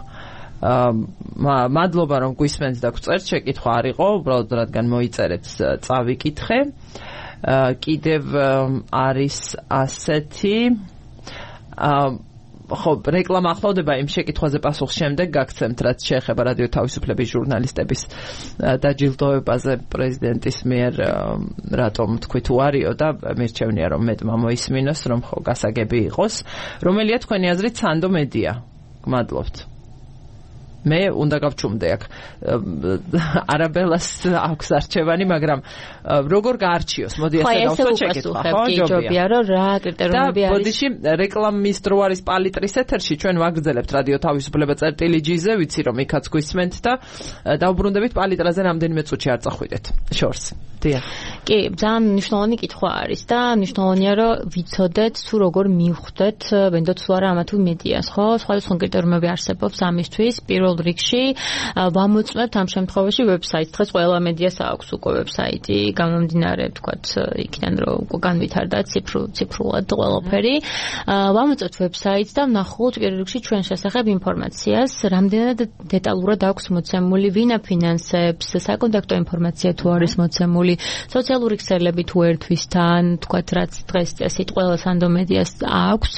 მადლობა რომ გვისმენთ და გვწერთ შეკითხვა არ იყო უბრალოდ რადგან მოიწერეთ წავიკითხე კიდევ არის ასეთი ხო რეკლამა ახლავდება იმ შეკითხვაზე პასუხს შემდეგ გაგცემთ რაც შეეხება რადიო თავისუფლების ჟურნალისტების დაჯილდოებაზე პრეზიდენტის მიერ რატომ თქვი თუ არისო და მირჩევნია რომ მეტმა მოისმინოს რომ ხო გასაგები იყოს რომელია თქვენი აზრით სანდო მედია გმადლობთ მე უნდა გავჩუმდე აქ არაბელას აქვს არჩევანი მაგრამ როგორ გაარჩიოს მოდი ასე დავსვათ შეკითხვა ხო ჯობია რომ რა კრიტერიუმები არის ბოდიში რეკლამის დრო არის პალიტრის ეთერში ჩვენ ვაგრძელებთ რადიო თავისუფლება წერტილი ჯიზე ვიცი რომ იქაც გვისმენთ და დავბრუნდებით პალიტრაზე რამდენიმე წუთში არ წახვიდეთ შორს კი ძალიან მნიშვნელოვანი კითხვა არის და მნიშვნელოვანია რომ ვიცოდეთ თუ როგორ მივხვდეთ ვენდოთ თუ არა ამა თუ მედიას ხო სხვადასხვა კრიტერიუმები არსებობს ამისთვის პირველ რიგში ვამოწმებთ ამ შემთხვევაში ვებსაიტს დღეს ყველა მედიას აქვს უკვე ვებსაიტი გამომდინარე თქვათ იქიდან რომ განვითარდა ციფრულად ყველაფერი ვამოწმებთ ვებსაიტს და ვნახოთ პირველ რიგში ჩვენ შესახებ ინფორმაციას რამდენად დეტალურად აქვს მოცემული ვინ აფინანსებს საკონტაქტო ინფორმაცია თუ არის მოცემული სოციალური ქსელები თუ ერთვისთან თქვათ რაც დღეს წესით ყველა სანდო მედიას აქვს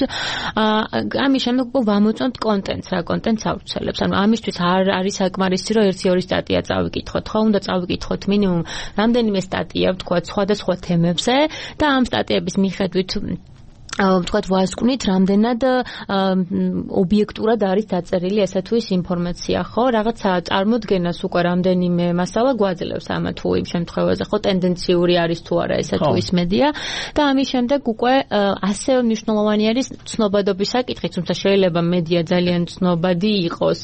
ამის შემდეგ ვამოწმებთ კონტენტს რა კონტენტს ავრცელებს ანუ ამისთვის არ არის საკმარისი რომ 1-2 სტატია წავიკითხოთ ხო უნდა წავიკითხოთ მინიმუმ რამდენიმე სტატია ვთქვათ სხვადასხვა თემებზე და ამ სტატიების მიხედვით ვთქვათ ვასკვნით რამდენად ობიექტურად არის დაწერილი ესა თუ ის ინფორმაცია ხო რაღაცა წარმოდგენას უკვე რამდენიმე მასალა გვაძლევს ამა თუ იმ შემთხვევაზე ხო ტენდენციური არის თუ არა ესა თუ ის მედია და ამის შემდეგ უკვე ასე მნიშვნელოვანი არის ცნობადობის საკითხი თუმცა შეიძლება მედია ძალიან ცნობადი იყოს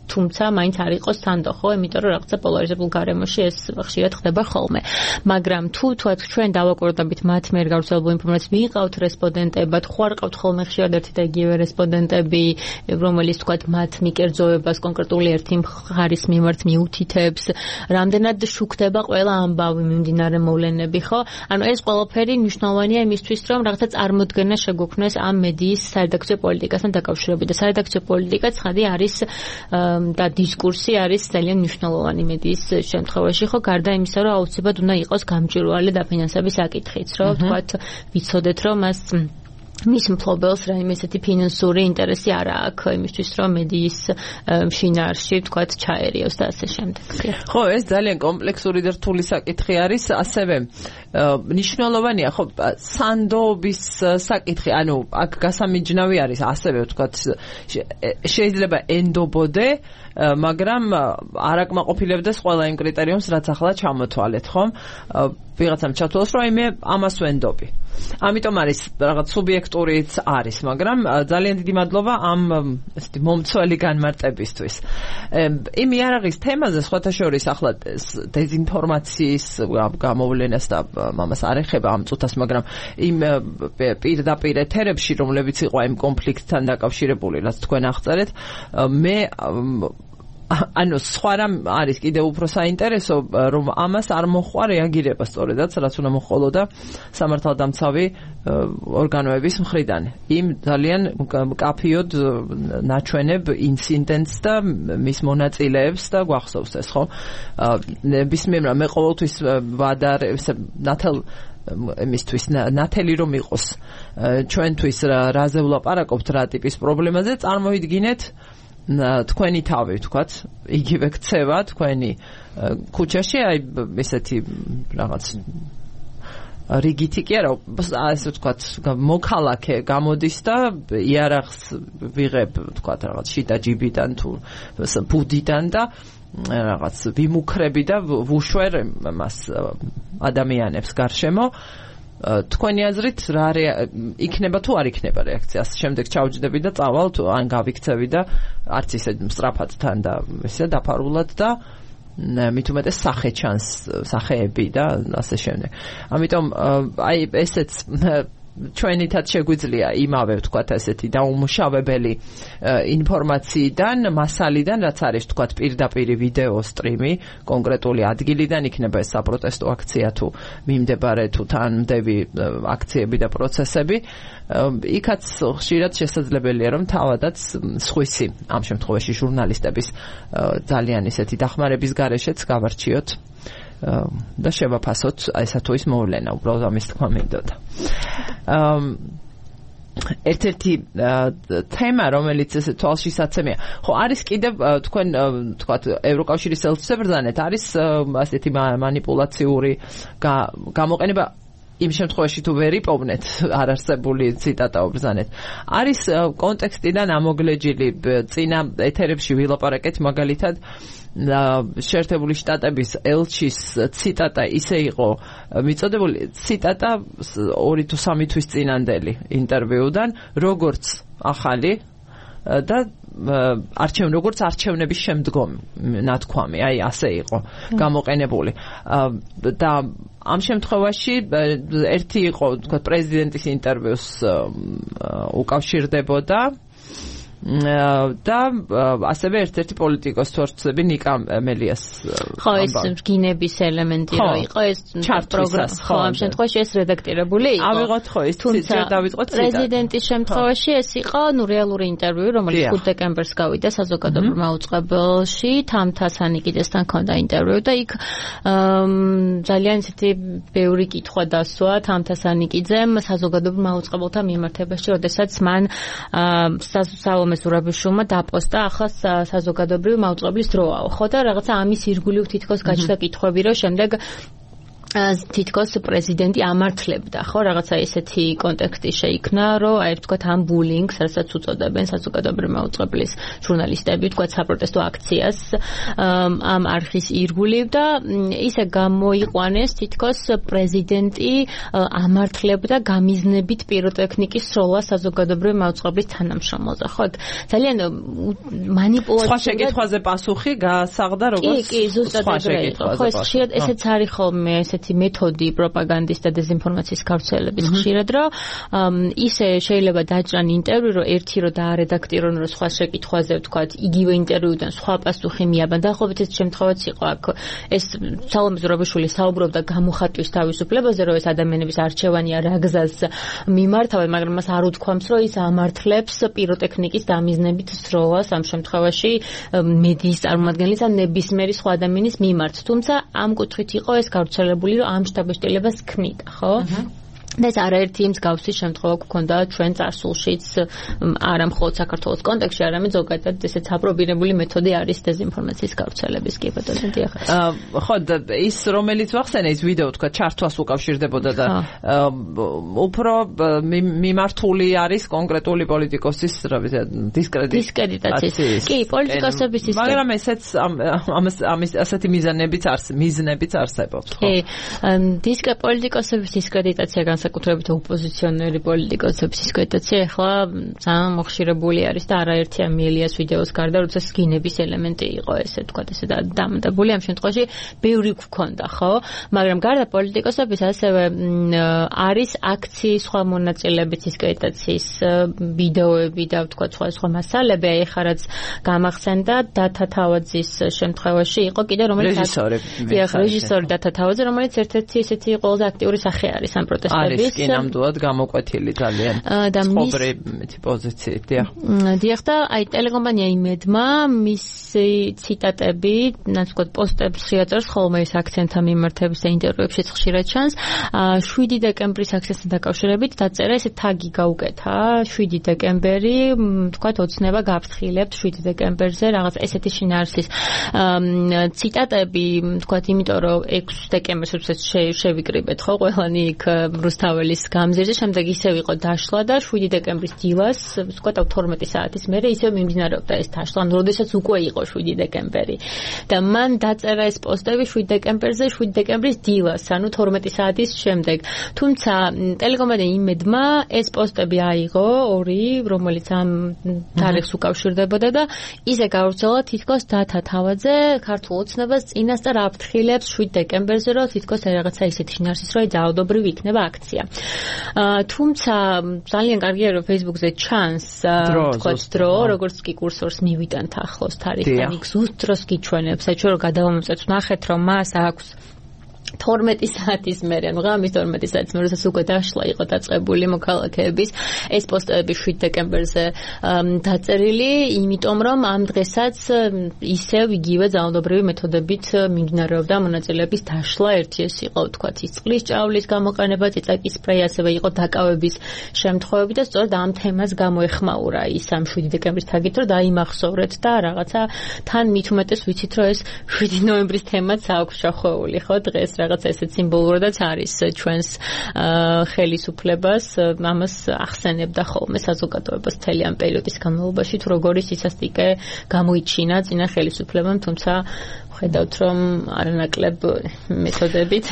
თუმცა მაინც არ იყოს სანდო ხო იმიტომ რომ რაღაცა პოლარიზებულ გარემოში ეს ხშირად ხდება ხოლმე მაგრამ თუ თქვათ ჩვენ დავაკვირდებით მათ მიერ გავრცელებულ ინფორმაციას მიიღავთ რესპონდენტებად ხო არ ყავთ ხოლმე ხშირად ერთი და იგივე რესპონდენტები რომელიც თქვათ მათ მიკერძოებას კონკრეტული ერთი მხარის მიმართ მიუთითებს რამდენად შუქდება ყველა ამბავი მიმდინარე მოვლენები ხო ანუ ეს ყველაფერი მნიშვნელოვანია იმისთვის რომ რაღაცა წარმოდგენა შეგვექმნეს ამ მედიის სარედაქციო პოლიტიკასთან დაკავშირებით და სარედაქციო პოლიტიკა ცხადი არის და დისკურსი არის ძალიან მნიშვნელოვანი მედიის შემთხვევაში ხო გარდა იმისა რომ აუცილებლად უნდა იყოს გამჭვირვალე დაფინანსების საკითხიც რომ თქვათ ვიცოდეთ რომ მას მის მფლობელს რაიმე ესეთი ფინანსური ინტერესი არ აქვს იმისთვის რომ მედიის შინაარსში თქვათ ჩაერიოს და ასე შემდეგ. ხო, ეს ძალიან კომპლექსური და რთული საკითხი არის, ასევე მნიშვნელოვანია ხო სანდოობის საკითხი, ანუ აქ გასამიჯნავი არის ასევე ვთქვათ შეიძლება ენდობოდე მაგრამ არ აკმაყოფილებდეს ყველა იმ კრიტერიუმს რაც ახლა ჩამოთვალეთ ხომ ვიღაცამ ჩათვალოს რომ მე ამას ვენდობი ამიტომ არის რაღაც სუბიექტურიც არის მაგრამ ძალიან დიდი მადლობა ამ ესეთი მომცველი განმარტებისთვის იმ იარაღის თემაზე სხვათა შორის ახლა დეзинფორმაციის გამოვლენას და ამას არ ეხება ამ წუთას მაგრამ იმ პირდაპირ ეთერებში რომლებიც იყო იმ კონფლიქტთან დაკავშირებული რაც თქვენ აღწერეთ მე ანუ სხვა რამ არის კიდევ უფრო საინტერესო რომ ამას არ მოხვა რეაგირება სწორედაც რაც უნდა მოხოლოდა სამართალდამცავი ორგანოების მხრიდან იმ ძალიან მკაფიოდ ნაჩვენებ ინციდენტს და მის მონაწილეებს და გვახსოვს ეს ხო ნებისმიერ მე ყოველთვის ვადარ მისთვის ნათელი რომ იყოს ჩვენთვის რაზე ვლაპარაკობთ რა ტიპის პრობლემაზე წარმოიდგინეთ თქვენი თავი ვთქვათ იგივე ქცევა თქვენი ქუჩაში აი ესეთი რაღაც რიგითი კი არა, ასე ვთქვათ, მოქალაქე გამოდის და იარაღს ვიღებ, ვთქვათ, რაღაც შიდა ჯიბიდან თუ ბუდიდან და რაღაც ვიმუქრები და ვუშვერ მას ადამიანებს გარშემო. თქვენი აზრით რა იქნება თუ არ იქნება რეაქცია? შემდეგ ჩავჯდები და წავალ თუ ან გავიქცევი და არც ისე სწრაფად თან და ესე დაფარულად და მით უმეტეს სახე ჩანს, სახეები და ასე შემდეგ. ამიტომ აი ესეც ჩვენითაც შეგვიძლია იმავე ვთქვათ ესეთი დაუმუშავებელი ინფორმაციიდან, მასალიდან, რაც არის ვთქვათ პირდაპირ ვიდეო სტრიმი კონკრეტული ადგილიდან, იქნება ეს საპროტესტო აქცია თუ მიმდებარე თუ თანმდევი აქციები და პროცესები, იქაც ხშირად შესაძლებელია რომ თავადაც სხვისი ამ შემთხვევაში ჟურნალისტების ძალიან ისეთი დახმარების გარეშეც გავარჩიოთ და შევაფასოთ ესა თუ ის მოვლენა, უბრალოდ ამის თქმა მინდოდა. ერთ-ერთი თემა, რომელიც ესე თვალშისაცემია, ხო არის კიდევ თქვენ თქვათ ევროკავშირის ელჩებრძანეთ არის ასეთი манипуლაციური გამოყენება იმ შემთხვევაში თუ ვერ იპოვნეთ არარსებული ციტატა უბრძანეთ. არის კონტექსტიდან ამოგლეჯილი წინა ეთერებში ვილაპარაკეთ მაგალითად შეერთებული შტატების ელჩის ციტატა ისე იყო მიწოდებული ციტატა 2 თუ 3 თვის წინანდელი ინტერვიუდან, როგორც ახალი და როგორც არჩევნების შემდგომ ნათქვამი, აი ასე იყო გამოყენებული. და ამ შემთხვევაში ერთი იყო, თქვა, პრეზიდენტის ინტერვიუს უკავშირდებოდა და ასევე ერთ-ერთი პოლიტიკოს თორცები ნიკა მელიას ხო ეს გინების ელემენტი რო იყო ეს პროგრამა ხო ამ შემთხვევაში ეს რედაქტირებული იყო ავიღოთ ხო ეს ციტატა დავიწყოთ პრეზიდენტის შემთხვევაში ეს იყო ნუ რეალური ინტერვიუ რომელიც 5 დეკემბერს გავიდა საზოგადოებრივ მაუწყებელში თამთასანი კიდესთან ჰქონდა ინტერვიუ და იქ ძალიან ისეთი ბევრი კითხვა დასვა თამთასანიკიძემ საზოგადოებრივ მაუწყებელთა მიმართებაში როდესაც მან მეზურაბიშვილმა დაპოსტა ახლა საზოგადოებრივი მაუწყებლის დროაო ხო და რაღაცა ამის ირგვლივ თითქოს გაჩნდა კითხვები რომ შემდეგ თითქოს პრეზიდენტი ამართლებდა ხო რაღაცა ესეთი კონტექსტი შეიქმნა რომ აი ვთქვათ ამ ბულინგს რასაც უწოდებენ საზოგადოებრივი მაუწყებლის ჟურნალისტები ვთქვათ საპროტესტო აქციას ამ არხის ირგვლივ და ისე გამოიყვანეს თითქოს პრეზიდენტი ამართლებდა გამიზნებით პიროტექნიკის სროლა საზოგადოებრივი მაუწყებლის თანამშრომელზე ხო ძალიან манипуლაცია სხვა შეკითხვაზე პასუხი გაასაღდა როგორც კი ზუსტად ეგრე იყო ხო ესეც არის ხოლმე ესეთი მეთოდი პროპაგანდის და დეზინფორმაციის გავრცელების ხშირად რომ ისე შეიძლება დაჭრან ინტერვიუ რომ ერთი რომ დაარედაქტირონ რომ სხვა შეკითხვაზე ვთქვათ იგივე ინტერვიუდან სხვა პასუხი მიაბან დაახლოებით ეს შემთხვევაც იყო აქ ეს სალომე ზურაბიშვილი საუბრობდა გამოხატვის თავისუფლებაზე რომ ეს ადამიანების არჩევანი რა გზას მიმართავენ მაგრამ მას არ უთქვამს რომ ის ამართლებს პიროტექნიკის დამიზნებით სროლას ამ შემთხვევაში მედიის წარმომადგენლის ან ნებისმიერი სხვა ადამიანის მიმართ თუმცა ამ კუთხით იყო ეს გავრცელებული რომ ამ შტაბ-ბეჭდილებას ქმნიდა, ხო? და ეს არაერთი მსგავსი შემთხვევა გქონდა ჩვენ წარსულშიც არა მხოლოდ საქართველოს კონტექსტში, არამედ ზოგადად ესეც აპრობირებული მეთოდი არის დეზინფორმაციის გავრცელების კი ბატონო დიახ. ხო ის რომელიც ვახსენე ის ვიდეო თქვა ჩართვას უკავშირდებოდა და უფრო მიმართული არის კონკრეტული პოლიტიკოსის რა ვიცი დისკრედიტაციის. კი, პოლიტიკოსების ის მაგრამ ესეც ამის ასეთი მიზნებიც არსებობს, ხო? კი, პოლიტიკოსების დისკრედიტაცია საკუთრებით ოპოზიციონერი პოლიტიკოსების დისკრედიტაცია ახლა ძალიან მოხშირებული არის და არაერთი ამიელიას ვიდეოს გარდა როცა სკინების ელემენტი იყო ესე თქვათ ესე დამტებული ამ შემთხვევაში ბევრი გქონდა ხო მაგრამ გარდა პოლიტიკოსების ასევე არის აქციის სხვა მონაწილეების დისკრედიტაციის ვიდეოები და თქვათ სხვა მასალები აი ხა რაც გამახსენდა დათა თავაძის შემთხვევაში იყო კიდე რომელიც რეჟისორი დათა თავაძე რომელიც ერთ-ერთი ესეთი ყველაზე აქტიური სახე არის ამ პროტესტების არის კი ნამდვილად გამოკვეთილი ძალიან ცხოვრების პოზიციით, დიახ და აი ტელეკომპანია იმედმა მისი ციტატები, რაც ვთქვათ, პოსტებს შეაწერს ხოლმე ეს აქცენტთა მიმართების და ინტერვიუებში ხშირად ჩანს. 7 დეკემბრის აქციასთან დაკავშირებით დაწერა ესე თაგი გაუკეთა 7 დეკემბერი, ვთქვათ, ოცნება გაფრთხილებთ 7 დეკემბერზე რაღაც ესეთი შინაარსის ციტატები, ვთქვათ, იმიტომ რომ 6 დეკემბერს უცებ შევიკრიბეთ ხო ყველანი იქ რუსთაველის გამზირზე, შემდეგ ისევ იყო დაშლა და 7 დეკემბრის დილას, ვთქვათ, 12 საათის მერე ისევ მიმდინარეობდა ეს დაშლა, როდესაც უკვე იყო 7 დეკემბერი. და მან დაწერა ეს პოსტები 7 დეკემბერზე, 7 დეკემბრის დილას, ანუ 12 საათის შემდეგ. თუმცა ტელეკომპანია იმედმა ეს პოსტები აიღო ორი, რომელიც ამ თარიღს უკავშირდებოდა და ისე გავრცელა თითქოს დათა თავაძე ქართულ ოცნებას წინასწარ აფრთხილებს 7 დეკემბერზე, რომ თითქოს რაღაცა ისეთი შინაარსის რო ძალადობრივი იქნება აქცია. თუმცა ძალიან კარგია რომ Facebook-ზე ჩანს თქოს დრო, როგორც კი კურსორს მივიტანთ ახლოს თარიღთან, იქ ზუსტ დროს გიჩვენებს, საჩვერო გადავამოწეთ, ნახეთ რომ მას აქვს 12 საათის მერე, ანუ ღამის 12 საათის მერე, როდესაც უკვე დაშლა იყო დაწყებული მოქალაქეების ეს პოსტები 7 დეკემბერზე დაწერილი, იმიტომ რომ ამ დღესაც ისევ იგივე ძალადობრივი მეთოდებით მიმდინარეობდა მონაწილეების დაშლა, ერთი ეს იყო, ვთქვათ, ის წყლის ჭავლის გამოყენება, წიწაკის სპრეი, ასევე იყო დაკავების შემთხვევები და სწორედ ამ თემას გამოეხმაურა ის ამ 7 დეკემბრის თაგით, რომ დაიმახსოვრეთ და რაღაცა თან მით უმეტეს ვიცით, რომ ეს 7 ნოემბრის თემაც აქვს შახვეული, ხო, დღეს რაღაცა ესეც სიმბოლურადაც არის ჩვენს ხელისუფლებას, ამას ახსენებდა ხოლმე საზოგადოებას მთელი ამ პერიოდის განმავლობაში, თუ როგორი სისასტიკე გამოიჩინა წინა ხელისუფლებამ, თუმცა ხედავთ რომ არანაკლებ მეთოდებით.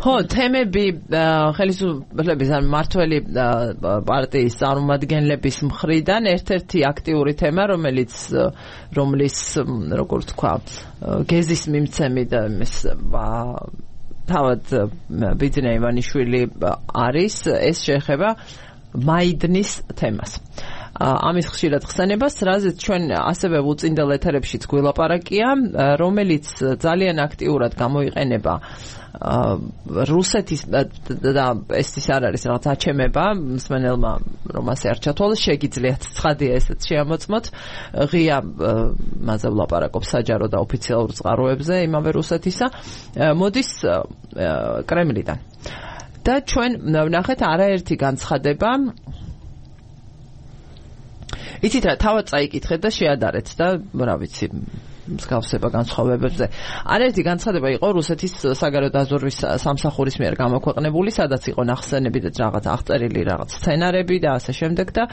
ხო, თემები ხელისუფლების ან მმართველი პარტიის წარმომადგენლების მხრიდან ერთ-ერთი აქტიური თემა, რომლის როგორ თქვა, გეზის მიმცემი და თავად ბიძინა ივანიშვილი არის, ეს შეეხება მაიდნის თემას. ამის ხშირად ხსენებას, რაზეც ჩვენ ასევე უწინდელ ეთერებშიც გველაპარაკია, რომელიც ძალიან აქტიურად გამოიყენება რუსეთის და ეს არ არის რაღაც აჩემება მსმენელმა, რომ ასე არ ჩათვალოს, შეგიძლიათ ცხადია ესეც შეამოწმოთ, ღია მასზე ვლაპარაკობ საჯარო და ოფიციალურ წყაროებზე იმავე რუსეთისა, მოდის კრემლიდან. და ჩვენ ვნახეთ არაერთი განცხადება. იცით რა, თავად წაიკითხეთ და შეადარეთ და რა ვიცი, მსგავსება განსხვავებებზე. არაერთი განცხადება იყო რუსეთის საგარეო დაზვერვის სამსახურის მიერ გამოქვეყნებული, სადაც იყო ნახსენები და რაღაც აღწერილი რაღაც სცენარები და ასე შემდეგ და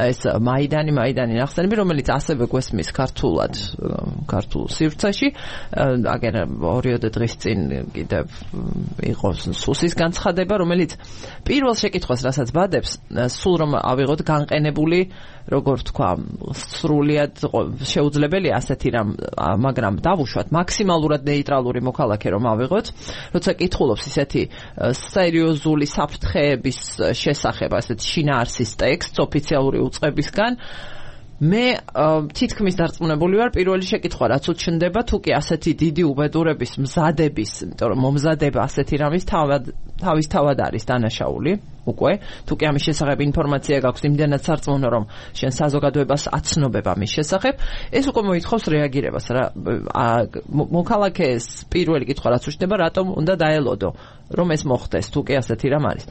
ეს მაიდანი ნახსენები, რომელიც ასევე გვესმის ქართულად, ქართულ სივრცეში. აგერ 2 დღის წინ კიდევ იყო სუსის განცხადება, რომელიც პირველ შეკითხვას, რასაც ბადებს, სულ რომ ავიღოთ განყენებული, როგორ თქვა, სრულიად შეუძლებელია ასეთი რამ, მაგრამ დავუშვათ მაქსიმალურად ნეიტრალური მოქალაქე რომ ავიღოთ, როცა კითხულობს ისეთი სერიოზული საფრთხეების შესახებ, ასეთი შინაარსის ტექსტს ოფიციალური უწყებისგან, მე თითქმის დარწმუნებული ვარ, პირველი შეკითხვა რაც უჩნდება, თუ კი ასეთი დიდი უბედურების მზადების, იმიტომ რომ მომზადება ასეთი რამის თავის თავად არის დანაშაული. უკვე, თუ კი ამის შესახებ ინფორმაცია გაქვს, იმდენად სარწმუნო, რომ შენ საზოგადოებას აცნობებ ამის შესახებ, ეს უკვე მოითხოვს რეაგირებას. მოქალაქეს პირველი კითხვა რაც უჩნდება, რატომ უნდა დაელოდო, რომ ეს მოხდეს, თუ კი ასეთი რამ არის.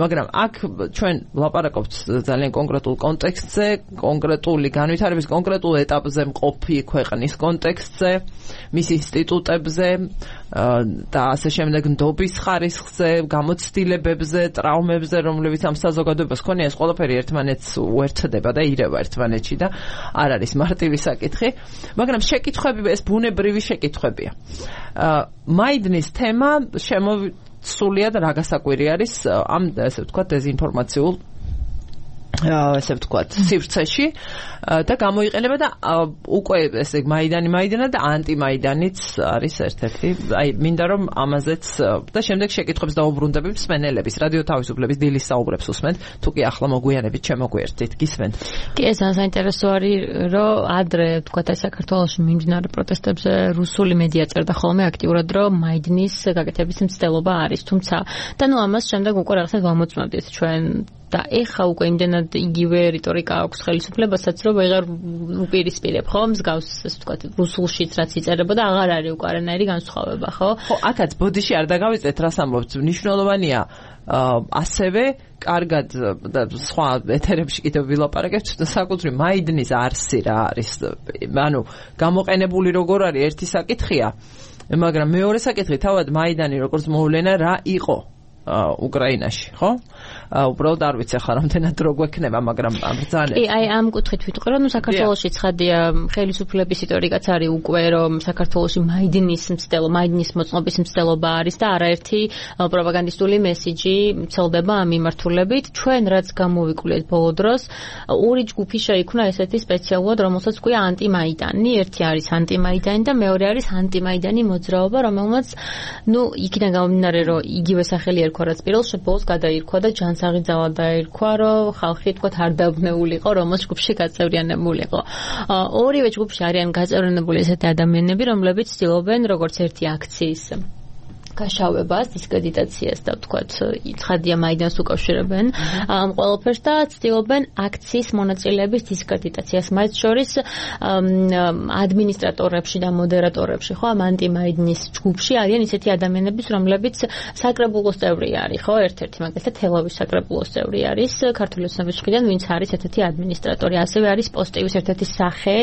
მაგრამ აქ ჩვენ ვლაპარაკობთ ძალიან კონკრეტულ კონტექსტზე, კონკრეტული განვითარების კონკრეტულ ეტაპზე მყოფი ქვეყნის კონტექსტზე, მის ინსტიტუტებზე და ასე შემდეგ ნდობის ხარისხზე, გამოცდილებებზე, ტრაუმებზე, რომლებიც ამ საზოგადოებას ქონია, ეს ყველაფერი ერთმანეთს უერთდება და ირევა ერთმანეთში და არ არის მარტივი საკითხი, მაგრამ შეკითხვები, ეს ბუნებრივი შეკითხვებია. მაიდნის თემა სრულიად რა გასაკვირი არის ამ, ასე ვთქვათ, დეზინფორმაციულ ესე ვთქვათ, სივრცეში და გამოიყენება და უკვე ესე მაიდანა და ანტიმაიდანიც არის ერთ-ერთი. აი, მინდა რომ ამაზეც და შემდეგ შეკითხვებს დაუბრუნდები მსმენელების, რადიო თავისუფლების დილის საუბრებს უსმენთ, თუ კი ახლა მოგვიანებით შემოგვიერთდით, გისმენთ. კი, ეს საინტერესო არის, რომ ადრე ვთქვათ, აი საქართველოში მიმდინარე პროტესტებზე რუსული მედია წერდა ხოლმე აქტიურად, რომ მაიდნის გაკეთების მცდელობა არის, თუმცა და ნუ ამას შემდეგ უკვე რაღაცნაირად ვამოწმებდით ჩვენ და ეხა უკვე იმდენად იგივე რიტორიკა აქვს ხელისუფლებასაც, რომ ვეღარ უპირისპირებ, ხო? მსგავს, ასე ვთქვათ, რუსულშიც რაც იწერებოდა, აღარ არის უკვე არანაირი განსხვავება, ხო? ხო, აქაც ბოდიში არ დაგავიწყეთ, რას ამბობთ, მნიშვნელოვანია ასევე კარგად და სხვა ეთერებში კიდევ ვილაპარაკებთ საკუთრივ მაიდნის არსი რა არის, ანუ გამოყენებული როგორ არის ერთი საკითხია, მაგრამ მეორე საკითხი თავად მაიდანი როგორც მოვლენა რა იყო უკრაინაში, ხო? უბრალოდ არ ვიცი ახლა რამდენად რო გვექნება, მაგრამ ბრძანეთ. კი, აი ამ კუთხით ვიტყვი, რომ საქართველოში ცხადია ხელისუფლების რიტორიკაც არის უკვე, რომ საქართველოში მაიდნის მოწყობის მცდელობა არის და არაერთი პროპაგანდისტული მესიჯი ვრცელდება ამ მიმართულებით. ჩვენ რაც გამოვიკვლიეთ ბოლო დროს, ორი ჯგუფი შეიქმნა ესეთი სპეციალურად, რომელსაც ქვია ანტიმაიდანი. ერთი არის ანტიმაიდანი და მეორე არის ანტიმაიდანი მოძრაობა, რომელმაც იქიდან გამომდინარე, რომ იგივე სახელი ერქვა, რაც პირველ ბოლოს გადაირქვა და ჯანსაღიძავად დაირქვა, რომ ხალხი თქვათ არ დაბრუნებულიყო, რომელს ჯგუფში გაწევრიანებულიყო. ორივე ჯგუფში არიან გაწევრიანებული ესეთი ადამიანები, რომლებიც ცდილობენ როგორც ერთი აქციის გაშავებას, დისკრედიტაციას და ვთქვათ, ცხადია მაიდანს უკავშირებენ ამ ყველაფერს და ცდილობენ აქციის მონაწილეების დისკრედიტაციას, მათ შორის ადმინისტრატორებში და მოდერატორებში, ხო, ამ ანტიმაიდნის ჯგუფში არიან ისეთი ადამიანები, რომლებიც საკრებულოს წევრი არის, ხო, ერთ-ერთი მაგალითად თელავის საკრებულოს წევრი არის ქართული ოცნების მხრიდან, ვინც არის ერთ-ერთი ადმინისტრატორი, ასევე არის პოსტივის ერთ-ერთი სახე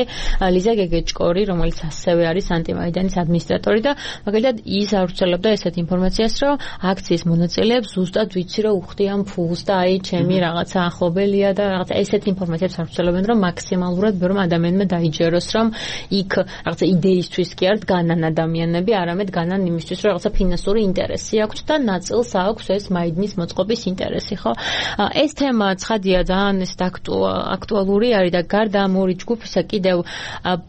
ლიზა გეგეჭკორი, რომელიც ასევე არის ანტიმაიდანის ადმინისტრატორი და მაგალითად ის ავრცელებდა ესეთ ინფორმაციას, რომ აქციის მონაწილეებს ზუსტად ვიცი, რომ უხდიან ფულს და აი ჩემი რაღაცა ახლობელია და რაღაცა ესეთ ინფორმაციას ავრცელებენ, რომ მაქსიმალურად ბევრ ადამიანმა დაიჯეროს, რომ იქ რაღაცა იდეისთვის კი არ დგანან ადამიანები, არამედ დგანან იმისთვის, რომ რაღაცა ფინანსური ინტერესი აქვთ და ნაწილს აქვს ეს მაიდნის მოწყობის ინტერესი, ხო? ეს თემა ცხადია ძალიან ეს აქტუალური არის და გარდა ამ ორი ჯგუფისა კიდევ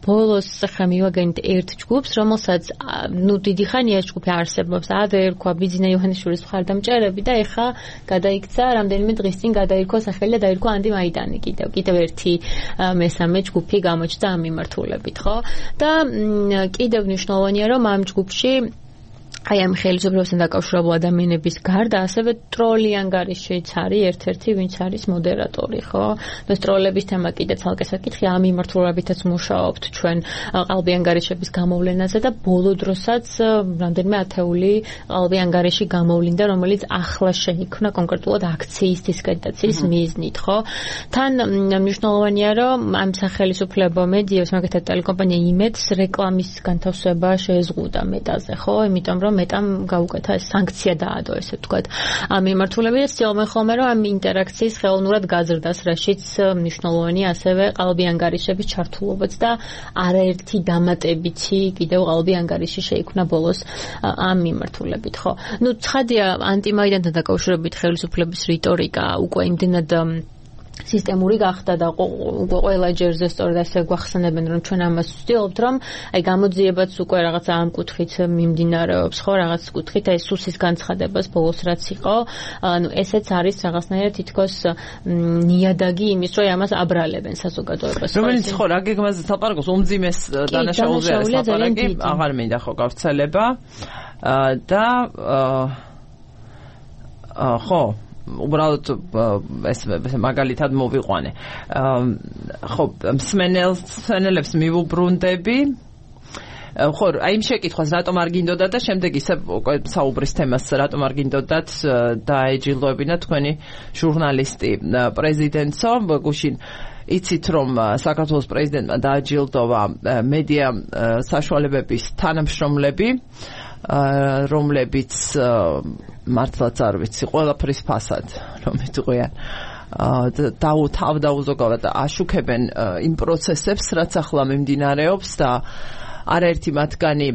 ბოლოს ხა მივაგენთ ერთ ჯგუფს, რომელსაც დიდი ხანია ეს ჯგუფი არსებობს. ადრე ერქვა ბიძინა იოანიშვილის მხარდამჭერები და ეხა გადაიქცა რამდენიმე დღის წინ გადაირქვა სახელი და დაირქვა ანტიმაიდანი კიდევ ერთი მესამე ჯგუფი გამოჩნდა ამ მიმართულებით, ხო? და კიდევ მნიშვნელოვანია, რომ ამ ჯგუფში აი ამ ხელისუფლებასთან დაკავშირებულ ადამიანების გარდა ასევე ტროლი ანგარიშიც არის ერთ-ერთი, ვინც არის მოდერატორი, ხო? და ტროლების თემა კიდე ცალკე საკითხია, ამ მიმართულებითაც მუშაობთ ჩვენ ყალბი ანგარიშების გამოვლენაზე და ბოლო დროსაც რამდენიმე ათეული ყალბი ანგარიში გამოვლინდა, რომელიც ახლა შეიქმნა კონკრეტულად აქციის დისკრედიტაციის მიზნით, ხო? თან მნიშვნელოვანია, რომ ამ სახელმწიფო მედიებს, მაგალითად ტელეკომპანია იმედს რეკლამის განთავსება შეეზღუდა მეტაზე, ხო? იმიტომ რომ მეტამ გაუკეთა ეს სანქცია დაადო, ესე ვთქვათ. ამ მიმართულებით ცდილობენ ხოლმე, რომ ამ ინტერაქციის ხელოვნურად გაზრდას, რაშიც მნიშვნელოვანია ასევე ყალბი ანგარიშების ჩართულობაც და არაერთი დამატებითი კიდევ ყალბი ანგარიში შეიქმნა ბოლოს ამ მიმართულებით, ხო? ცხადია ანტიმაიდანთან დაკავშირებით ხელისუფლების რიტორიკა უკვე იმდენად სისტემური გახდა და ყველა ჯერზე სწორედ ასე გვახსენებენ, რომ ჩვენ ამას ვცდილობთ, რომ აი გამოძიებაც უკვე რაღაცა ამ კუთხით მიმდინარეობს, ხო, რაღაც კუთხით აი სუსის განცხადებას ბოლოს რაც იყო, ანუ ესეც არის რაღაცნაირად თითქოს ნიადაგი იმის, რომ ამას აბრალებენ საზოგადოებას. რომელიც ხო, რა გეგმაზე თალპარაკობს, უმძიმეს დანაშაულზე არის ლაპარაკი, აღარ მინდა ხო გავრცელება და ხო უბრალოდ ეს მაგალითად მოვიყვანე. ხო, მსმენელებს მივუბრუნდები. ხო, აი იმ შეკითხვას რატომ არ გინდოდა და შემდეგ ისე საუბრის თემას რატომ არ გინდოდათ დაეჯილდოებინა თქვენი ჟურნალისტი პრეზიდენტო გუშინ იცით რომ საქართველოს პრეზიდენტმა დააჯილდოვა მედია საშუალებების თანამშრომლები რომლებიც მართლაც არ ვიცი ყველაფრის ფასად რომ იტყვიან თავდაუზოგავად აშუქებენ იმ პროცესებს რაც ახლა მიმდინარეობს და არაერთი მათგანი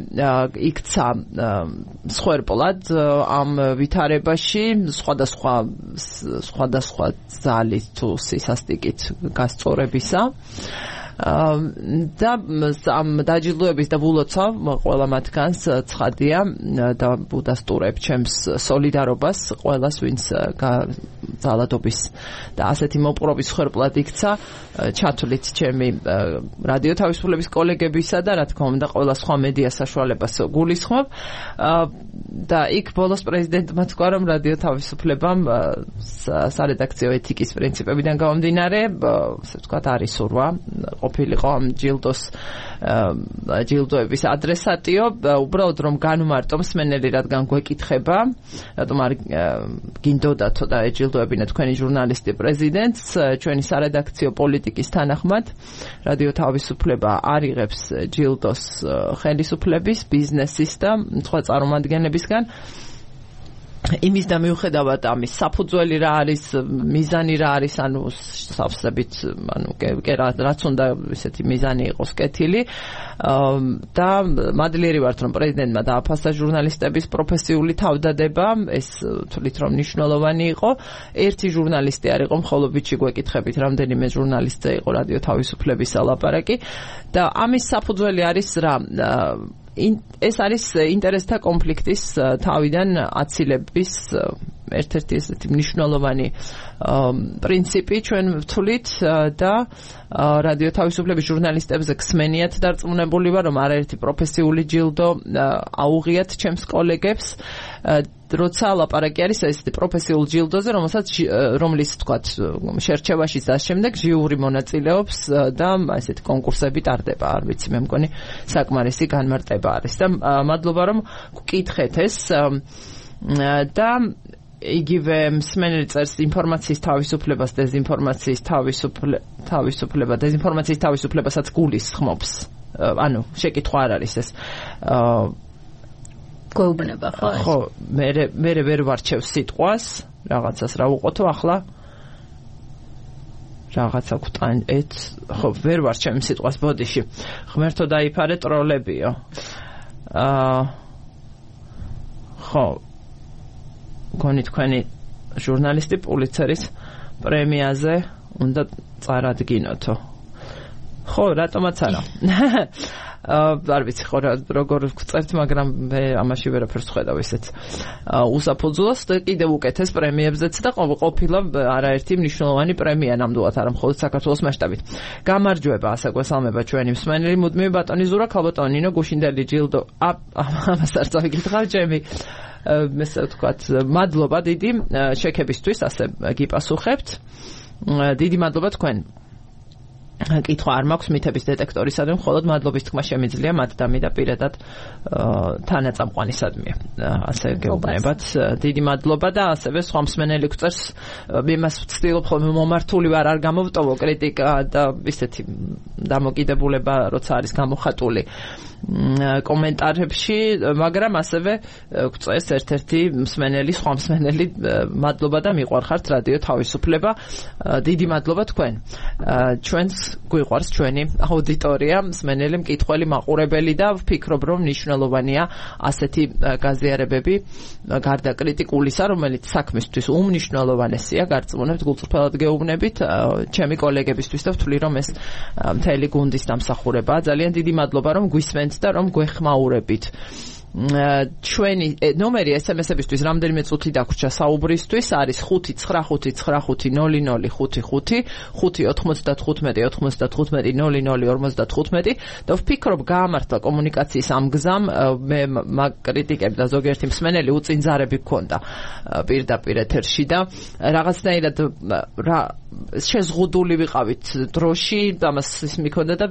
იქცა მსხვერპლად ამ ვითარებაში სხვადასხვა ძალით თუ სისასტიკით გასწორებისა და ამ დაჯილდოების და ვულოცავ ყველა მათგანს ცხადია და უდასტურებ ჩემს სოლიდარობას ყველას ვინც ძალადობის და ასეთი მოპყრობის მსხვერპლად იქცა ჩათვლით ჩემი რადიო თავისუფლების კოლეგებისა და რა თქმა უნდა ყველა სხვა მედია საშუალებას გულისხმობ და იქ ბოლოს პრეზიდენტმა თქვა რომ რადიო თავისუფლებამ სარედაქციო ეთიკის პრინციპებიდან გამომდინარე ასე ვთქვათ არის სურვა ყოფილიყო ამ ჯილდოების ადრესატიო უბრალოდ რომ განვმარტო მსმენელი რადგან გვეკითხება რატომ არ გინდოდათო და ეჯილდოებინა თქვენი ჟურნალისტი პრეზიდენტს ჩვენი სარედაქციო პოლიტიკის თანახმად რადიო თავისუფლება არ იღებს ჯილდოს ხელისუფლების ბიზნესის და სხვა წარმოადგენლებისგან იმის და მიუხედავად ამის საფუძველი რა არის მიზანი რა არის ანუ სავსებით ანუ რაც უნდა ესეთი მიზანი იყოს კეთილი და მადლიერი ვართ რომ პრეზიდენტმა დააფასა ჟურნალისტების პროფესიული თავდადება ეს თვლით რომ მნიშვნელოვანი იყო ერთი ჟურნალისტი არ იყო მხოლოდ ვიჩი გვეკითხებით რამდენიმე ჟურნალისტზე იყო რადიო თავისუფლების ლაპარაკი და ამის საფუძველი არის რა ეს არის ინტერესთა კონფლიქტის თავიდან აცილების ერთ-ერთი ესეთი მნიშვნელოვანი პრინციპი ჩვენ ვთვლით და რადიო თავისუფლების ჟურნალისტებზე გსმენიათ დარწმუნებული ვარ რომ არაერთი პროფესიული ჯილდო აუღიათ ჩემს კოლეგებს როცა ლაპარაკი არის ესეთი პროფესიულ ჯილდოზე რომლის თქვათ შერჩევაში და შემდეგ ჟიური მონაწილეობს და ესეთი კონკურსები ტარდება არ ვიცი მე მგონი საკმარისი განმარტება არის და მადლობა რომ გკითხეთ ეს და იგივე მსმენელი წერს ინფორმაციის თავისუფლებას დეზინფორმაციის თავისუფლებასაც გულისხმობს ანუ შეკითხვა არ არის ეს გვეუბნება ხო მე ვერ ვარჩევ სიტყვას რაღაცას რა უყოთო ახლა რაღაცა გვტან ხო ვერ ვარჩევ სიტყვას ბოდიში ღმერთო დაიფარე ტროლებიო ხო გონი თქვენი ჟურნალისტი პულიცერის პრემიაზე უნდა წარადგინოთო ხო რატომაც არა არ ვიცი ხო როგორ ვწერთ მაგრამ მე ამაში ვერაფერს ვხედავ ესეც უსაფუძვლოს და კიდევ უკეთეს პრემიებზეც და ყოფილა არაერთი მნიშვნელოვანი პრემია ნამდვილად არა მხოლოდ საქართველოს მასშტაბით გამარჯვება ასე გვესალმება ჩვენი მსმენელი მუდმივი ბატონი ზურა ქალბატონი ნინო გუშინდელი ჯილდო ამას არ წავიკითხავ ჩემი ესე ვთქვათ მადლობა დიდი შექებისთვის ასე გიპასუხებთ დიდი მადლობა თქვენ კითხვა არ მაქვს მითების დეტექტორისადმი მხოლოდ მადლობის თქმა შემიძლია მათდამი და პირადად თანაწამყვანისადმი ასე გეუბნებათ დიდი მადლობა და ასევე სხვა მსმენელი გვწერს იმას ვცდილობ ხოლმე მომართული ვარ არ გამოვტოვო კრიტიკა და ისეთი დამოკიდებულება როცა არის გამოხატული კომენტარებში მაგრამ ასევე გვწერს ერთ-ერთი მსმენელი სხვა მსმენელი მადლობა და მიყვარხართ რადიო თავისუფლება დიდი მადლობა თქვენ ჩვენს გვიყვარს ჩვენი აუდიტორია მსმენელი მკითხველი მაყურებელი და ვფიქრობ რომ მნიშვნელოვანია ასეთი გაზიარებები გარდა კრიტიკულისა რომელიც საქმისთვის უმნიშვნელოვანესია გარწმუნებთ გულწრფელად გეუბნებით ჩემი კოლეგებისთვის და ვთვლი რომ ეს მთელი გუნდის დამსახურებაა ძალიან დიდი მადლობა რომ გვისმენთ და რომ გვეხმაურებით ჩვენი ნომერი SMS-ებისთვის რამდენიმე წუთი დაგვრჩა საუბრისთვის არის 595500555 595-95-00-55 და ვფიქრობ გაამართლა კომუნიკაციის ამ გზამ მე კრიტიკები და ზოგიერთი მსმენელი უწინძარები გქონდა პირდაპირ ეთერში და რაღაცნაირად შეზღუდული ვიყავით დროში ამას ის მიქონდა და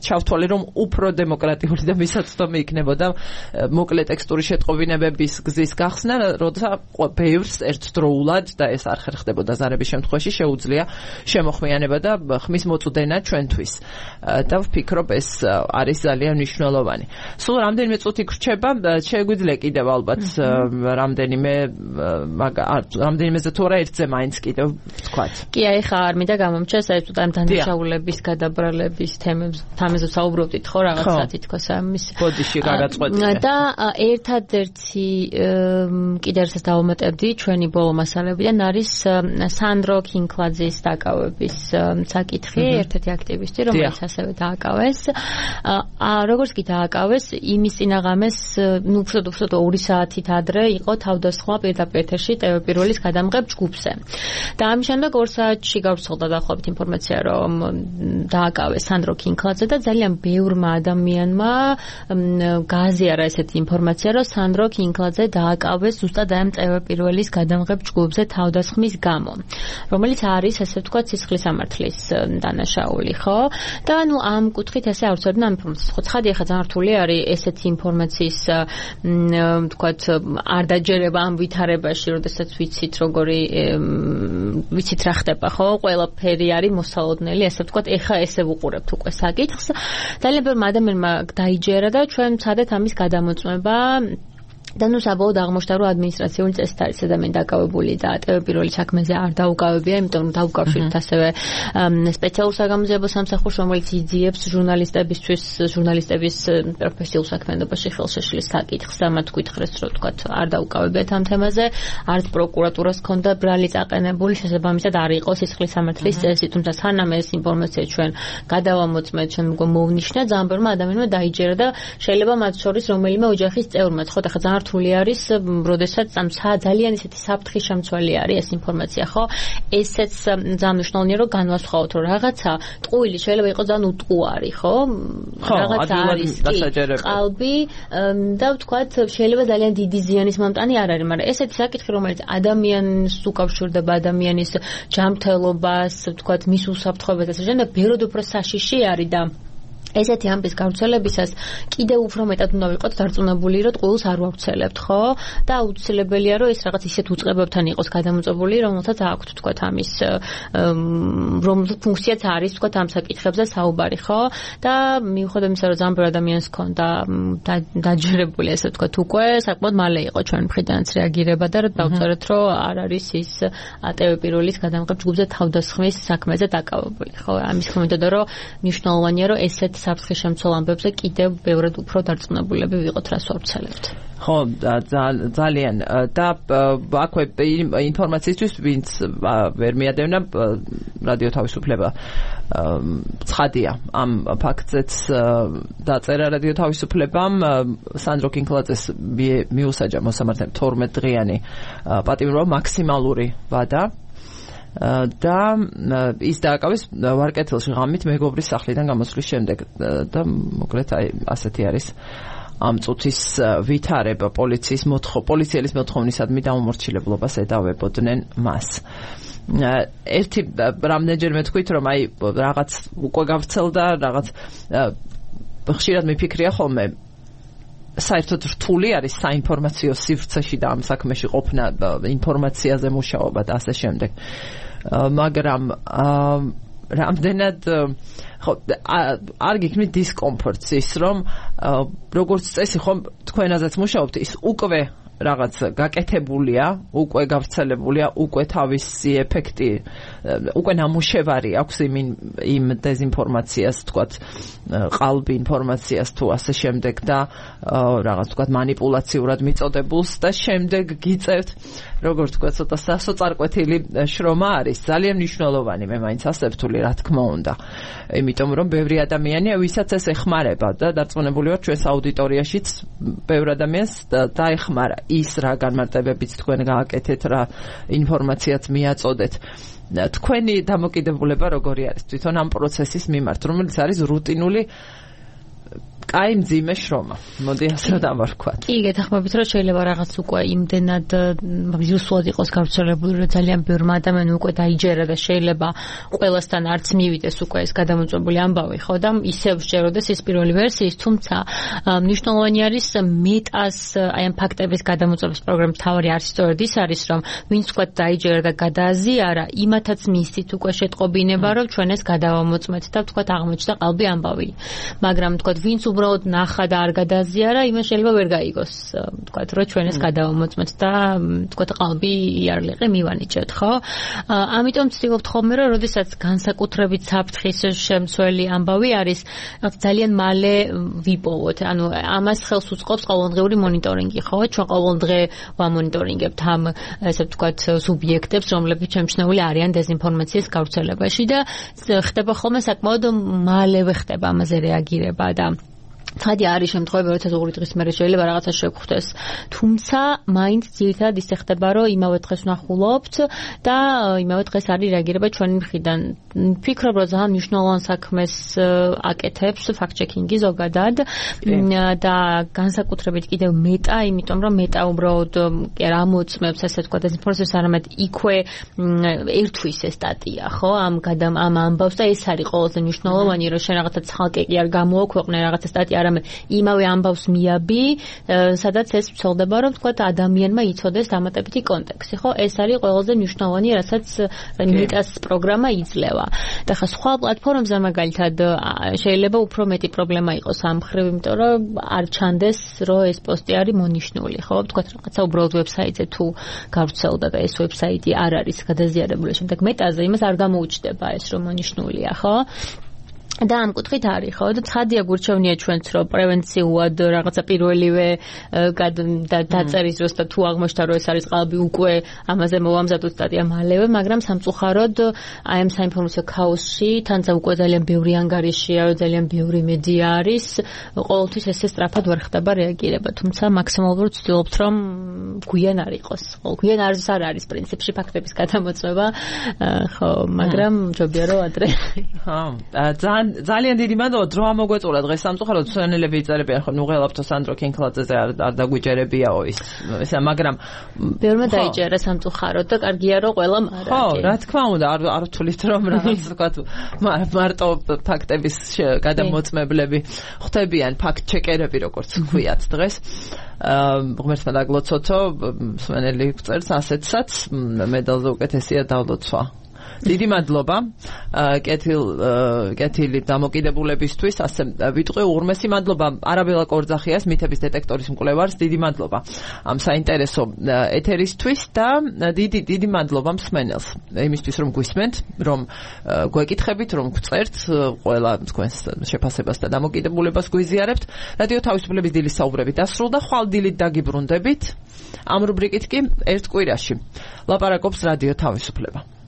ჩავთვალე რომ უფრო დემოკრატიული და მისაწვდომი იქნებოდა მოკლე ტექსტური შეტყობინებების გზის გახსნა, როცა ბევრს ერთდროულად და ეს არ ხერხდებოდა ზარების შემთხვევაში შეუძლია შემოხმიანება და ხმის მოწვდენა ჩვენთვის. და ვფიქრობ ეს არის ძალიან მნიშვნელოვანი. სულ რამდენიმე წუთი გრჩება, შეგვიძლია კიდევ ალბათ რამდენიმეზე თუ არა ერთზე მაინც კიდევ ვთქვათ. კი, აი ხა არ მინდა გამომჩა საერთოდ ამ დანაშაულების გადაბრალების თემებზე საუბრობდით ხო რაღაცა თითქოს ამის ბოდიში გადაწყვეტილი. და ერთადერთი კიდევ ერთს დავუმატებდი ჩვენი ბოლო მასალებიდან არის სანდრო კინკლაძის დაკავების საკითხი, ერთ-ერთი აქტივისტი, რომელიც ასევე დააკავეს. როგორც კი დააკავეს, იმის წინაღამეს, უბრალოდ 2 საათით ადრე იყო თავდასხმა პირდაპირ ეთერში ტელეპიროლის გადამღებ ჯგუფზე. და ამის შემდეგ 2 საათში გავრცელდა დაახლოებით ინფორმაცია, რომ დააკავეს სანდრო კინკლაძე და ძალიან ბევრმა ადამიანმა გააზიარა ესეთი ინფორმაცია, რომ სანდრო კინკლაძე დააკავეს ზუსტად ამ ტელეპიროლის გადამღებ ჯგუფზე თავდასხმის გამო, რომელიც არის ესე ვთქვათ სისხლის სამართლის დანაშაული, ხო? და ანუ ამ კუთხით ესე აუცილებლად ამ ინფორმაციას ხო ცხადია, ხა ძალიან რთული არის ესეთი ინფორმაციის ვთქვათ არ დაჯერება ამ ვითარებაში, როდესაც ვიცით როგორი ვიცით რა ხდება, ხო? ყველაფერი არის მოსალოდნელი, ესე ვთქვათ, ეხა ესე ვუყურებთ უკვე საკითხს. ძალიან ბევრმა ადამიანმა დაიჯერა და ჩვენ ვცადეთ ამის გადამოწმება. და ნუ საბოლოოდ აღმოჩნდა, რომ ადმინისტრაციული წესით არის ადამიანი დაკავებული და ტელეპიროლის საქმეზე არ დაუკავებია, იმიტომ რომ დაუკავშირეთ ასევე სპეციალურ საგამოძიებო სამსახურს, რომელიც იძიებს ჟურნალისტების პროფესიულ საქმიანობაში ხელშეშლის საკითხს და მათ გითხრეს, რომ თქვათ არ დაუკავებიათ ამ თემაზე, არც პროკურატურას ჰქონდა ბრალი წაყენებული, შესაბამისად არ იყო სისხლის სამართლის წესი, თუმცა სანამ ეს ინფორმაცია ჩვენ გადავამოწმეთ, ჩვენ მოვნიშნა, ძალიან ბევრმა ადამიანმა დაიჯერა და შეიძლება მათ შორის რომელიმე ოჯახის წევრმაც, ხო, ახლა ძალიან რთული არის, როდესაც ძალიან ისეთი საფრთხის შემცველი არის ეს ინფორმაცია, ხო? ესეც ძალიან მნიშვნელოვანია, რომ განვასხვაოთ, რომ რაღაცა ტყუილი შეიძლება იყოს ძალიან უტყუარი, ხო? რაღაცა არის ყალბი და ვთქვათ, შეიძლება ძალიან დიდი ზიანის მომტანი არ არის, მაგრამ ესეთი საკითხი, რომელიც ადამიანს უკავშირდება, ადამიანის ჯანმრთელობას, ვთქვათ, მის უსაფრთხოებას და ასე შემდეგ, ბევრად უფრო საშიში არის და ესეთი ამბის გავრცელებისას კიდევ უფრო მეტად უნდა ვიყოთ დარწმუნებული, რომ ტყუილს არ ვავრცელებთ, ხო? და აუცილებელია, რომ ეს რაღაც ისეთ უწყებებთან იყოს გადამოწმებული, რომელთაც აქვთ, თქვათ, ამის რომელთა ფუნქციაც არის, თქვათ, ამ საკითხებზე საუბარი, ხო? და მიუხედავად იმისა, რომ ძალიან ბევრი ადამიანს ჰქონდა დაჯერებული, ესე ვთქვათ, უკვე საკმაოდ მალე იყო ჩვენ მხრიდანაც რეაგირება და დავწერეთ, რომ არ არის ის ტელეპიროლის გადამღებ ჯგუფზე თავდასხმის საქმეზე დაკავებული, ხო? ამის ხმიდან, რომ მნიშვნელოვანია, რომ ესეთ საფრთხის შემცველ ამბებზე კიდევ ბევრად უფრო დარწმუნებულები ვიყოთ, რას ვავრცელებთ. ხო, ძალიან და აქვე ინფორმაციისთვის ვინც ვერ მიადევნა რადიო თავისუფლება ცხადია ამ ფაქტზეც დაწერა რადიო თავისუფლებამ სანდრო კინკლაძეს მიუსაჯა მოსამართლემ 12 დღიანი პატიმრობა მაქსიმალური ვადა და ის დააკავეს ვარკეთილში ღამით მეგობრის სახლიდან გამოსვლის შემდეგ და მოკლედ აი ასეთი არის ამ წუთის ვითარება პოლიციელის მოთხოვნისადმი დაუმორჩილებლობას ედავებოდნენ მას. ერთი რამდენჯერმე თქვით რომ აი რაღაც უკვე გავრცელდა რაღაც ხშირად მიფიქრია ხოლმე საერთოდ რთული არის საინფორმაციო სივრცეში და ამ საქმეში ყოფნა ინფორმაციაზე მუშაობა და ასე შემდეგ. მაგრამ რამდენად ხო არ გიქმნით დისკომფორტს ის რომ როგორც წესი ხომ თქვენაზეც მუშაობთ ის უკვე რაღაც გაკეთებულია, უკვე გავრცელებულია, უკვე თავისი ეფექტი, უკვე ნამუშევარი აქვს იმ დეზინფორმაციას, თქვათ, ყალბი ინფორმაციას თუ ასე შემდეგ და რაღაც თქვათ манипуляციურად მიწოდებულს და შემდეგ გიწევთ, როგორც თქვათ, ცოტა სასოწარკვეთილი შრომა არის, ძალიან მნიშვნელოვანი, მე მაინც ასე ვთვლი, რა თქმა უნდა. იმიტომ რომ ბევრი ადამიანია, ვისაც ეს ეხმარება და დარწმუნებული ვარ ჩვენს აუდიტორიაშიც ბევრ ადამიანს დაეხმარა ის რა განმარტებებიც თქვენ გააკეთეთ, რა ინფორმაციაც მიაწოდეთ. თქვენი დამოკიდებულება როგორი არის თვითონ ამ პროცესის მიმართ, რომელიც არის რუტინული კაი მძიმე შრომა. მოდი ასე დავარქვათ. კი, გეთახმებით, რომ შეიძლება რაღაც უკვე იმდენად ვირუსულად იყოს გავრცელებული, რომ ძალიან ბევრმა ადამიანმა უკვე დაიჯერა და შეიძლება ყველასთან არც მივიდეს უკვე ეს გადამოწმებული ამბავი, ხო და ისევ შეეროდეს ის პირველი ვერსიის, თუმცა მნიშვნელოვანი არის მეტას აი ამ ფაქტების გადამოწმების პროგრამის თავი არის სწორედ ის არის, რომ ვინც თქვა დაიჯერა და გადააზიარა, იმათაც მისით უკვე შეტყობინება, რომ ჩვენ ეს გადავამოწმეთ და თქვა აღმოჩნდა ყალბი ამბავი. მაგრამ თქვა ვინც უბრალოდ ნახა და არ გადააზიარა, იმას შეიძლება ვერ გაიგოს, თქვა რომ ჩვენ ეს გადავამოწმეთ და თქვა ყალბი იარლიყი მივანიჭეთ, ხო? ამიტომ ვცდილობთ ხოლმე, რომ როდესაც განსაკუთრებით საფრთხის შემცველი ამბავი არის, ძალიან მალე ვიპოვოთ. ანუ ამას ხელს უწყობს ყოველდღიური მონიტორინგი, ხო? ჩვენ ყოველდღე ვამონიტორინგებთ ამ ესე ვთქვათ სუბიექტებს, რომლებიც შემჩნეული არიან დეზინფორმაციის გავრცელებაში და ხდება ხოლმე საკმაოდ მალევე ხდება ამაზე რეაგირება და ცხადი არის შემთხვევები, როდესაც ორი დღის მერე შეიძლება რაღაცა შეგხვდეს. თუმცა მაინც ძირითადად ისე ხდება, რომ იმავე დღეს ვნახულობთ და იმავე დღეს არის რეაგირება ჩვენი მხრიდან. ვფიქრობ, რომ ძალიან მნიშვნელოვან საქმეს აკეთებს ფაქტ-ჩეკინგი ზოგადად და განსაკუთრებით კიდევ მეტა, იმიტომ რომ მეტა უბრალოდ კი არ ამოწმებს, ასე ვთქვათ, დეზინფორმაციას, არამედ იქვე ერთვის ეს სტატია, ხო? ამ ამბავს და ეს არის ყველაზე მნიშვნელოვანი, რომ შენ რაღაცა ცალკე კი არ გამოაქვეყნე რაღაცა სტატია, არამედ იმავე ამბავს მიაბი, სადაც ეს ვცელდება, რომ ვთქვათ, ადამიანმა იცოდეს დამატებითი კონტექსტი, ხო? ეს არის ყველაზე მნიშვნელოვანი, რასაც მეტას პროგრამა იძლევა. და ხა სხვა პლატფორმებზე მაგალითად შეიძლება უფრო მეტი პრობლემა იყოს ამ მხრივ, იმიტომ რომ არ ჩანდეს, რომ ეს პოსტი არის მონიშნული, ხო? ვთქვათ, რაღაცა უბრალოდ ვებსაიტზე თუ გავრცელდა და ეს ვებსაიტი არ არის გადაზიარებული, შემდეგ მეტაზე იმას არ გამოუჩნდება ეს, რომ მონიშნულია, ხო? და ამ კუთხით არის, ხო? და ცხადია გურჩევნია ჩვენც, რომ პრევენციულად რაღაცა პირველივე დაწერის დროს და თუ აღმოჩნდა, რომ ეს არის ყალბი, უკვე ამაზე მოვამზადოთ სტატია მალევე, მაგრამ სამწუხაროდ აი ამ საინფორმაციო ქაოსში თანაც უკვე ძალიან ბევრი ანგარიშია, ძალიან ბევრი მედია არის, ყოველთვის ესე სწრაფად ვერ ხდება რეაგირება, თუმცა მაქსიმალურად ვცდილობთ, რომ გვიან არ იყოს. გვიან არ არის პრინციპში ფაქტების გადამოწმება, ხო, მაგრამ ჯობია რომ ადრე. ხო, ძალიან დიდი მადლობა დრო ამოგვეწურა დღეს სამწუხაროდ სვენელები იწერებიან ხო ნუ ღელაფთო სანდრო კინკლაძეზე არ დაგვიჯერებიაო ისა მაგრამ ბევრმა დაიჯერა სამწუხაროდ და კარგია რომ ყველამ არა ხო რა თქმა უნდა არ ვთვლით რომ რაღაც ვთქვათ მარტო ფაქტების გადამოწმებლები ხდებიან ფაქტ ჩეკერები როგორც ვქვიათ დღეს ღმერთმა დაგლოცოთო სვენელი წერს ასეთსაც მედალზე უკეთესია დავლოცვა დიდი მადლობა კეთილი დამოკიდებულებისთვის ასე ვიტყვი უღრმესი მადლობა არაბელა კორძახიას მითების დეტექტორის მკვლევარს დიდი მადლობა ამ საინტერესო ეთერისთვის და დიდი მადლობა მსმენელს იმისთვის რომ გვისმენთ რომ გვეკითხებით რომ გწერთ ყველა თქვენს შეფასებას და დამოკიდებულებას გვიზიარებთ რადიო თავისუფლების დილის საუბრები დასრულდა ხვალ დილით დაგიბრუნდებით ამ რუბრიკით კი ერთ კვირაში ლაპარაკობს რადიო თავისუფლება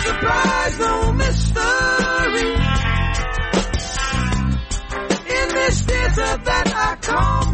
surprise, no mystery. In this theater that I call